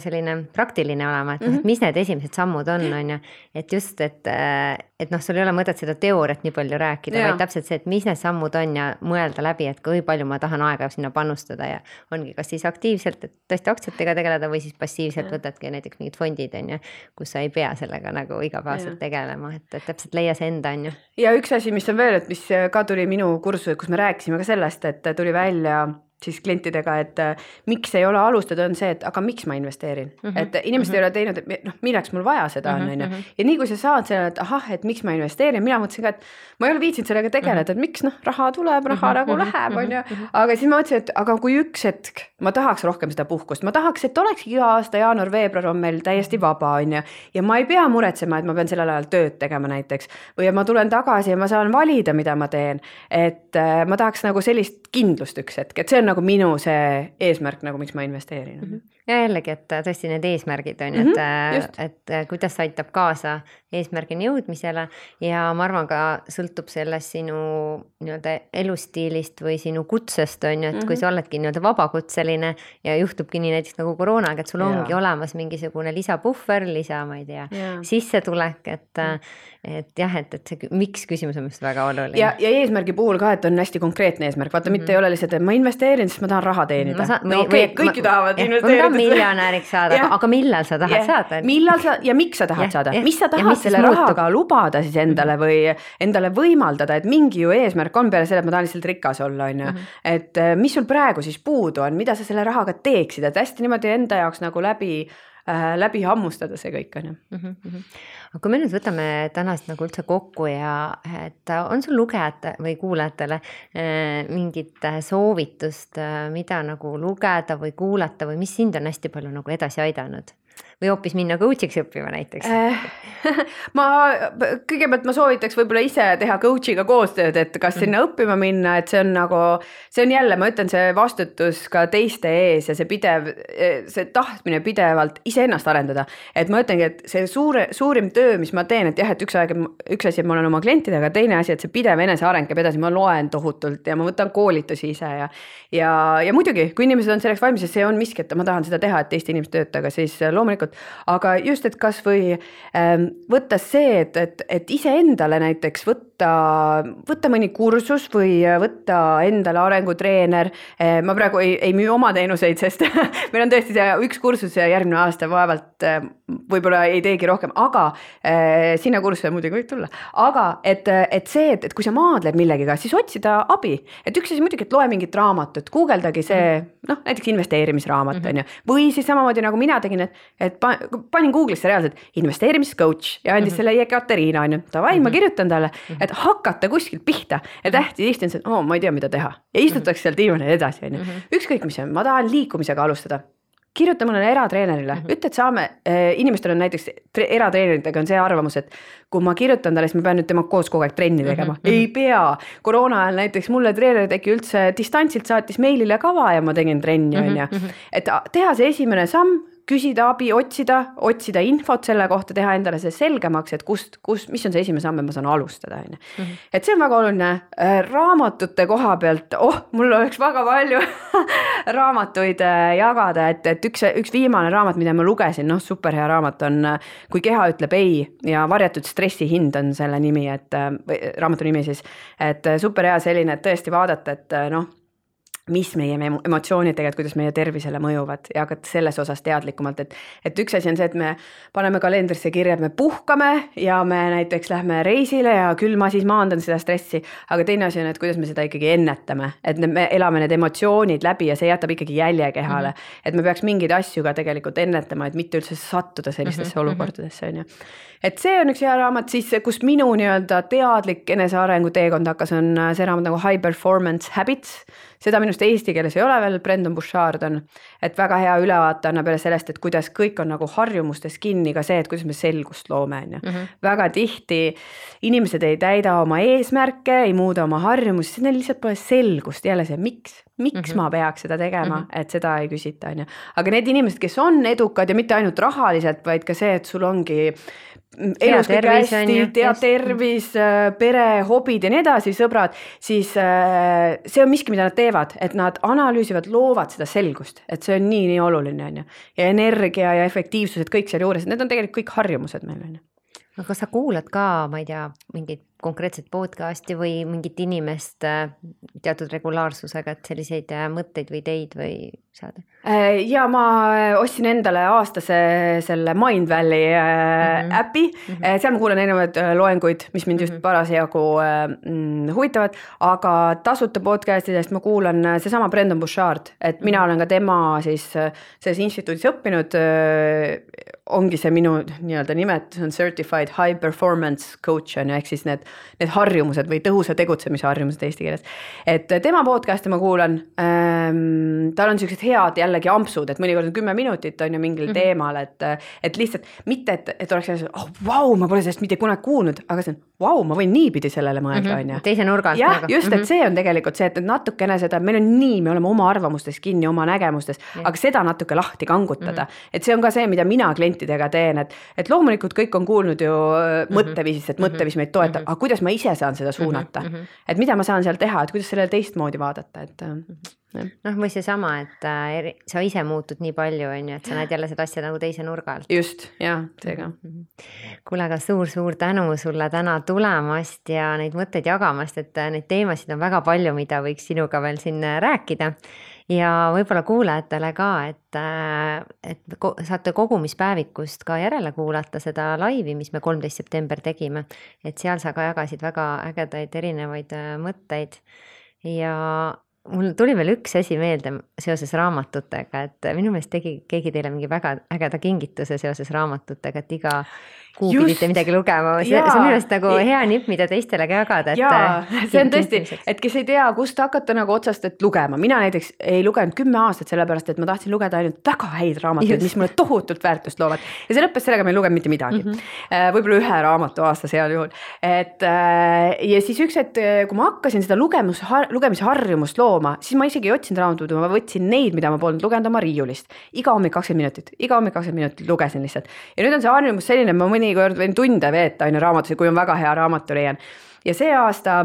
selline praktiline olema, et mis need esimesed sammud on ju, et just, et sul ei ole mõtet seda teooriat nii palju rääkida, vaid täpselt see, et mis need sammud on ja mõelda läbi, et kui palju ma tahan aega sinna panustada ja ongi kas siis aktiivselt, et tõesti aktsiatega tegeleda või siis passiivselt võtadki näiteks mingid fondid on ju, kus sa ei pea sellega nagu igapäevaselt tegelema, et täpselt leia see enda on ju. Ja üks asi, mis on veel, et mis ka tuli minu kursusel, kus me rääkisime ka sellest, et tuli välja siis klientidega, et miks ei ole alustada, on see, et aga miks ma investeerin, et inimesed ei ole teinud, et milleks mul vaja seda on, ja nii kui sa saad selle, et ahah, et miks ma investeerin, mina mõtlesin ka, et ma ei ole viitsinud sellega tegeleda, et miks raha tuleb, raha nagu läheb, on ju, aga siis ma mõtlesin, et aga kui üks hetk ma tahaks rohkem seda puhkust, ma tahaks, et olekski iga aasta jaanuar-veebruar on meil täiesti vaba, on ju, ja ma ei pea muretsema, et ma pean sellel ajal tööd tegema näiteks, või ma tulen tagasi ja ma saan valida, mida ma teen, et ma tahaks nagu sellist kindlust üks hetk, et see on nagu minu see eesmärk, nagu miks ma investeerin. Ja jällegi, et tõesti need eesmärgid on, et kuidas aitab kaasa eesmärgini jõudmisele ja ma arvan ka sõltub sellest sinu nii-öelda elustiilist või sinu kutsest on ju, et kui sa oledki nii-öelda vabakutseline ja juhtubki nii näiteks nagu koroonaga, et sul ongi olemas mingisugune lisapuhver, ma ei tea, sissetulek, et jah, et see miks küsimus on just väga oluline. Ja eesmärgi puhul ka, et on hästi konkreetne eesmärk, vaata mitte ei ole lihtsalt, et ma investeerin, sest ma tahan raha teenida. Kõik tahavad investeerida. Miljonäriks saada, aga millal sa tahad saada? Millal sa ja miks sa tahad saada? Mis sa tahad selle rahaga lubada siis endale või endale võimaldada, et mingi ju eesmärk on peale selle, et ma tahan lihtsalt rikas olla, on ju. Et mis sul praegu siis puudu on, mida sa selle rahaga teeksid, et hästi niimoodi enda jaoks nagu läbi hammustada see kõik on ju. Aga kui me nüüd võtame tänast nagu üldse kokku ja et on sul lugejate või kuulajatele mingit soovitust, mida nagu lugeda või kuulata või mis sind on hästi palju nagu edasi aidanud? Või hoopis minna coachiks õppima näiteks? Kõigepealt ma soovitaks võib-olla ise teha coachiga koostööd, et kas sinna õppima minna, et see on jälle, ma ütlen, see vastutus ka teiste ees ja see tahtmine pidevalt iseennast arendada. Et ma ütlengi, et see suurim töö, mis ma teen, et jah, et üks asi, et ma olen oma klientidega, teine asi, et see pidev eneseareng käib edasi, ma loen tohutult ja ma võtan koolitusi ise ja muidugi, kui inimesed on selleks valmis ja see on miski, et ma tahan seda teha, et teiste inimeste töötaga, siis loomulikult, aga just, et kas või võtta see, et iseendale näiteks võtta mõni kursus või võtta endale arengutreener. Ma praegu ei müü oma teenuseid, sest meil on tõesti see üks kursus ja järgmine aasta vaevalt võib-olla ei teegi rohkem, aga sinna kursuse muidugi võib tulla. Aga et see, et kui sa maadled millegiga, siis otsida abi. Et üks asi muidugi, et loe mingit raamatut, guugeldagi see, näiteks investeerimisraamat on ju. Või siis samamoodi nagu mina tegin, et panin Google'isse reaalselt investeerimiscoach ja andis selle Kateriina on ju. Tavai, ma kirjutan talle, et hakata kuskilt pihta. Et hästi tihti on see, ma ei tea, mida teha. Ja istutaks seal diivanil edasi on ju. Ükskõik mis on, ma tahan liikumisega alustada. Kirjuta mõnele eratreenerile, ütle, et inimestel on näiteks eratreeneritega on see arvamus, et kui ma kirjutan talle, siis ma pean nüüd tema koos kogu aeg trenni tegema. Ei pea. Koroona ajal näiteks mulle treener tegi üldse distantsilt saatis meilile kava ja ma tegin trenni on ju. Et teha see esimene samm, küsida abi, otsida infot selle kohta, teha endale see selgemaks, et mis on see esimene samm, et ma saan alustada. Et see on väga oluline. Raamatute koha pealt, mul oleks väga palju raamatuid jagada, et üks viimane raamat, mida ma lugesin, superhea raamat on Kui keha ütleb ei ja varjatud stressi hind on selle nimi, raamatu nimi siis, et superhea selline, et tõesti vaadata, et mis meie emotsioonid tegelikult, kuidas meie tervisele mõjuvad ja hakata selles osas teadlikumalt, et üks asi on see, et me paneme kalendrisse kirja, et me puhkame ja me näiteks lähme reisile ja küll ma siis maandan seda stressi, aga teine asi on, et kuidas me seda ikkagi ennetame, et me elame need emotsioonid läbi ja see jätab ikkagi jälje kehale, et me peaks mingeid asju ka tegelikult ennetama, et mitte üldse sattuda sellistesse olukordadesse on ju. Et see on üks hea raamat, siis kus minu nii-öelda teadlik enesearengu teekond hakkas, on see raamat nagu High Performance Habits, seda minust eesti keeles ei ole veel, Brendan Bouchard on, et väga hea ülevaate annab jälle sellest, et kuidas kõik on nagu harjumustes kinni, ka see, et kuidas me selgust loome, on ju. Väga tihti inimesed ei täida oma eesmärke, ei muuda oma harjumusi, siis neil lihtsalt pole selgust, jälle see, miks ma peaks seda tegema, et seda ei küsita, on ju. Aga need inimesed, kes on edukad ja mitte ainult rahaliselt, vaid ka see, et sul ongi elus kõik hästi, tervis, pere, hobid ja nii edasi, sõbrad, siis see on miski, mida nad teevad, et nad analüüsivad, loovad seda selgust, et see on nii oluline, on ju. Ja energia ja efektiivsused, kõik seal juures, need on tegelikult kõik harjumused meil, on ju. Aga kas sa kuulad ka, ma ei tea, mingit konkreetset podcasti või mingit inimest teatud regulaarsusega, et selliseid mõtteid või ideid või saada? Ja ma ostsin endale aastase selle Mind Valley äpi, seal ma kuulen erinevaid loenguid, mis mind just parasjagu huvitavad, aga tasuta podcastidest ma kuulan seesama Brendan Bouchard, et mina olen ka tema siis selles instituudis õppinud, ongi see minu nii-öelda nimet, see on Certified High Performance Coach, ehk siis need harjumused või tõhusa tegutsemise harjumused eesti keeles. Et tema podcasti ma kuulan, tal on sellised head jällegi ampsud, et mõnikord on 10 minutit on ju mingil teemal, et lihtsalt mitte, et oleks vau, ma pole sellest mitte kunagi kuulnud, aga see on vau, ma võin niipidi sellele mõelda, on ju. Teise nurgalt. Jah, just, et see on tegelikult see, et natukene seda, meil on nii, me oleme oma arvamustes kinni, oma nägemustes, aga seda natuke lahti kangutada. Et see on ka see, mida mina klientidega teen, et loomulikult kõik on kuulnud ju mõtteviisist, et mõtteviis meid toetab, aga kuidas ma ise saan seda suunata, et mida ma saan seal teha, et kuidas sellele teistmoodi vaadata, et või seesama, et sa ise muutud nii palju, on ju, et sa näed jälle seda asja nagu teise nurga alt. Just, jah, seega. Kuule, aga suur tänu sulle täna tulemast ja neid mõtteid jagamast, et neid teemasid on väga palju, mida võiks sinuga veel siin rääkida. Ja võib-olla kuulajatele ka, et saate kogumispäevikust ka järele kuulata seda laivi, mis me 13. september tegime, et seal sa ka jagasid väga ägedaid erinevaid mõtteid ja mul tuli veel üks asi meelde seoses raamatutega, et minu meelest tegi keegi teile mingi väga ägeda kingituse seoses raamatutega, et iga kuu pidite midagi lugema. See on minu meelest nagu hea nipp, mida teistele ka jagada. See on tõesti, et kes ei tea, kust hakata nagu otsast, et lugema. Mina näiteks ei lugenud 10 aastat sellepärast, et ma tahtsin lugeda ainult väga häid raamatuid, mis mulle tohutult väärtust loovad. Ja see lõppes sellega, ma ei lugenud mitte midagi. Võib-olla 1 raamatu aasta seal juhul. Ja siis üks, et kui ma hakkasin seda lugemisharjumust looma, siis ma isegi ei otsinud raamatuid, ma võtsin neid, mida ma polnud lugenud oma riiulist. Iga hommik 20 minutit lugesin lihtsalt. Ja nüüd on see harjumus selline, ma mõnikord võin tunde veeta aina raamatusi, kui on väga hea raamatu leian. Ja see aasta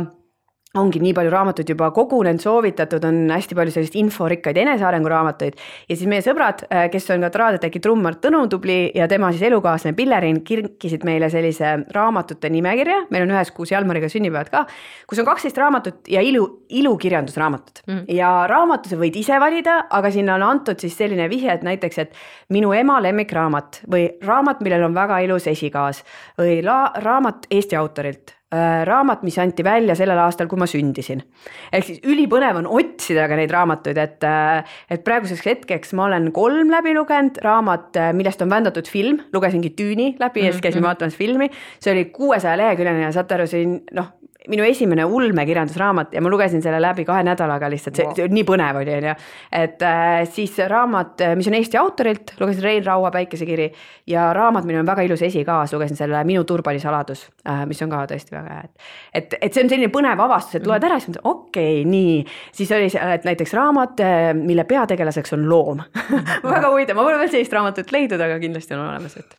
ongi nii palju raamatuid juba kogunenud, soovitatud, on hästi palju sellist inforikkaid enesearengu raamatuid. Ja siis meie sõbrad, kes on ka Traadeteki trummar Tõnu Tubli ja tema siis elukaaslane Pillerin, kirkisid meile sellise raamatute nimekirja. Meil on 1 kuus Jalmariga sünnipäevad ka, kus on 12 raamatut ja ilukirjandusraamatud. Ja raamatuse võid ise valida, aga sinna on antud siis selline vihje, et näiteks, et minu ema lemmikraamat või raamat, millel on väga ilus esikaas või raamat Eesti autorilt. Raamat, mis anti välja sellel aastal, kui ma sündisin. Ehk siis ülipõnev on otsida ka neid raamatuid, et praeguseks hetkeks ma olen 3 läbi lugenud raamat, millest on vändatud film, lugesingi Tüüni läbi ja siis käisin vaatamas filmi. See oli 600 leheküljene ja saate aru siin, minu esimene ulmekirjandusraamat ja ma lugesin selle läbi 2 nädalaga lihtsalt, see nii põnev oli, et siis raamat, mis on Eesti autorilt, lugesin Rein Raua Päikesekiri ja raamat, mille on väga ilus esikaas, lugesin selle Minu turbalisaladus, mis on ka tõesti väga hea, et see on selline põnev avastus, et loed ära, siis mõtlen, okei, nii, siis oli see, et näiteks raamat, mille peategelaseks on loom. Väga huvitav, ma pole veel sellist raamatut leidnud, aga kindlasti on olemas, et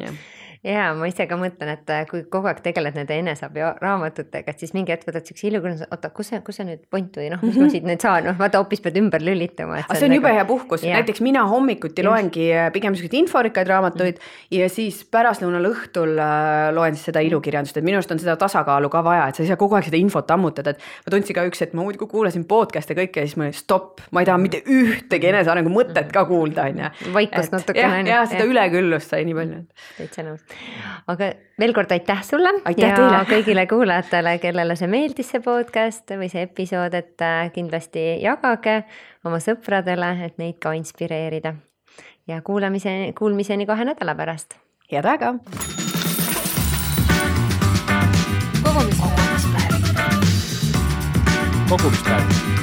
jah. Ja ma ise ka mõtlen, et kui kogu aeg tegeled nende enesabi raamatutega, et siis mingi hetk võtad siukse ilukõnus, oota, kus see nüüd point või mis ma siit nüüd saan, vaata hoopis pead ümber lülitama. Aga see on jube hea puhkus, näiteks mina hommikuti loengi pigem sellised inforikkaid raamatuid ja siis pärastlõunal õhtul loen siis seda ilukirjandust, et minu arust on seda tasakaalu ka vaja, et sa ei saa kogu aeg seda infot ammutada, et ma tundsin ka üks, et ma muidugi kuulasin podcast'e kõike ja siis ma olin stopp, ma ei taha mitte ühtegi enesearengu mõtet ka kuulda, on ju. Vaikust natukene. Ja seda üleküllust sai nii palju. Täitsa nõus. Aga veel kord aitäh sulle aitäh ja teile. Kõigile kuulajatele, kellele see meeldis see podcast või see episood, et kindlasti jagage oma sõpradele, et neid ka inspireerida. Ja kuulmiseni 2 nädala pärast. Head aega! Kogumispäev.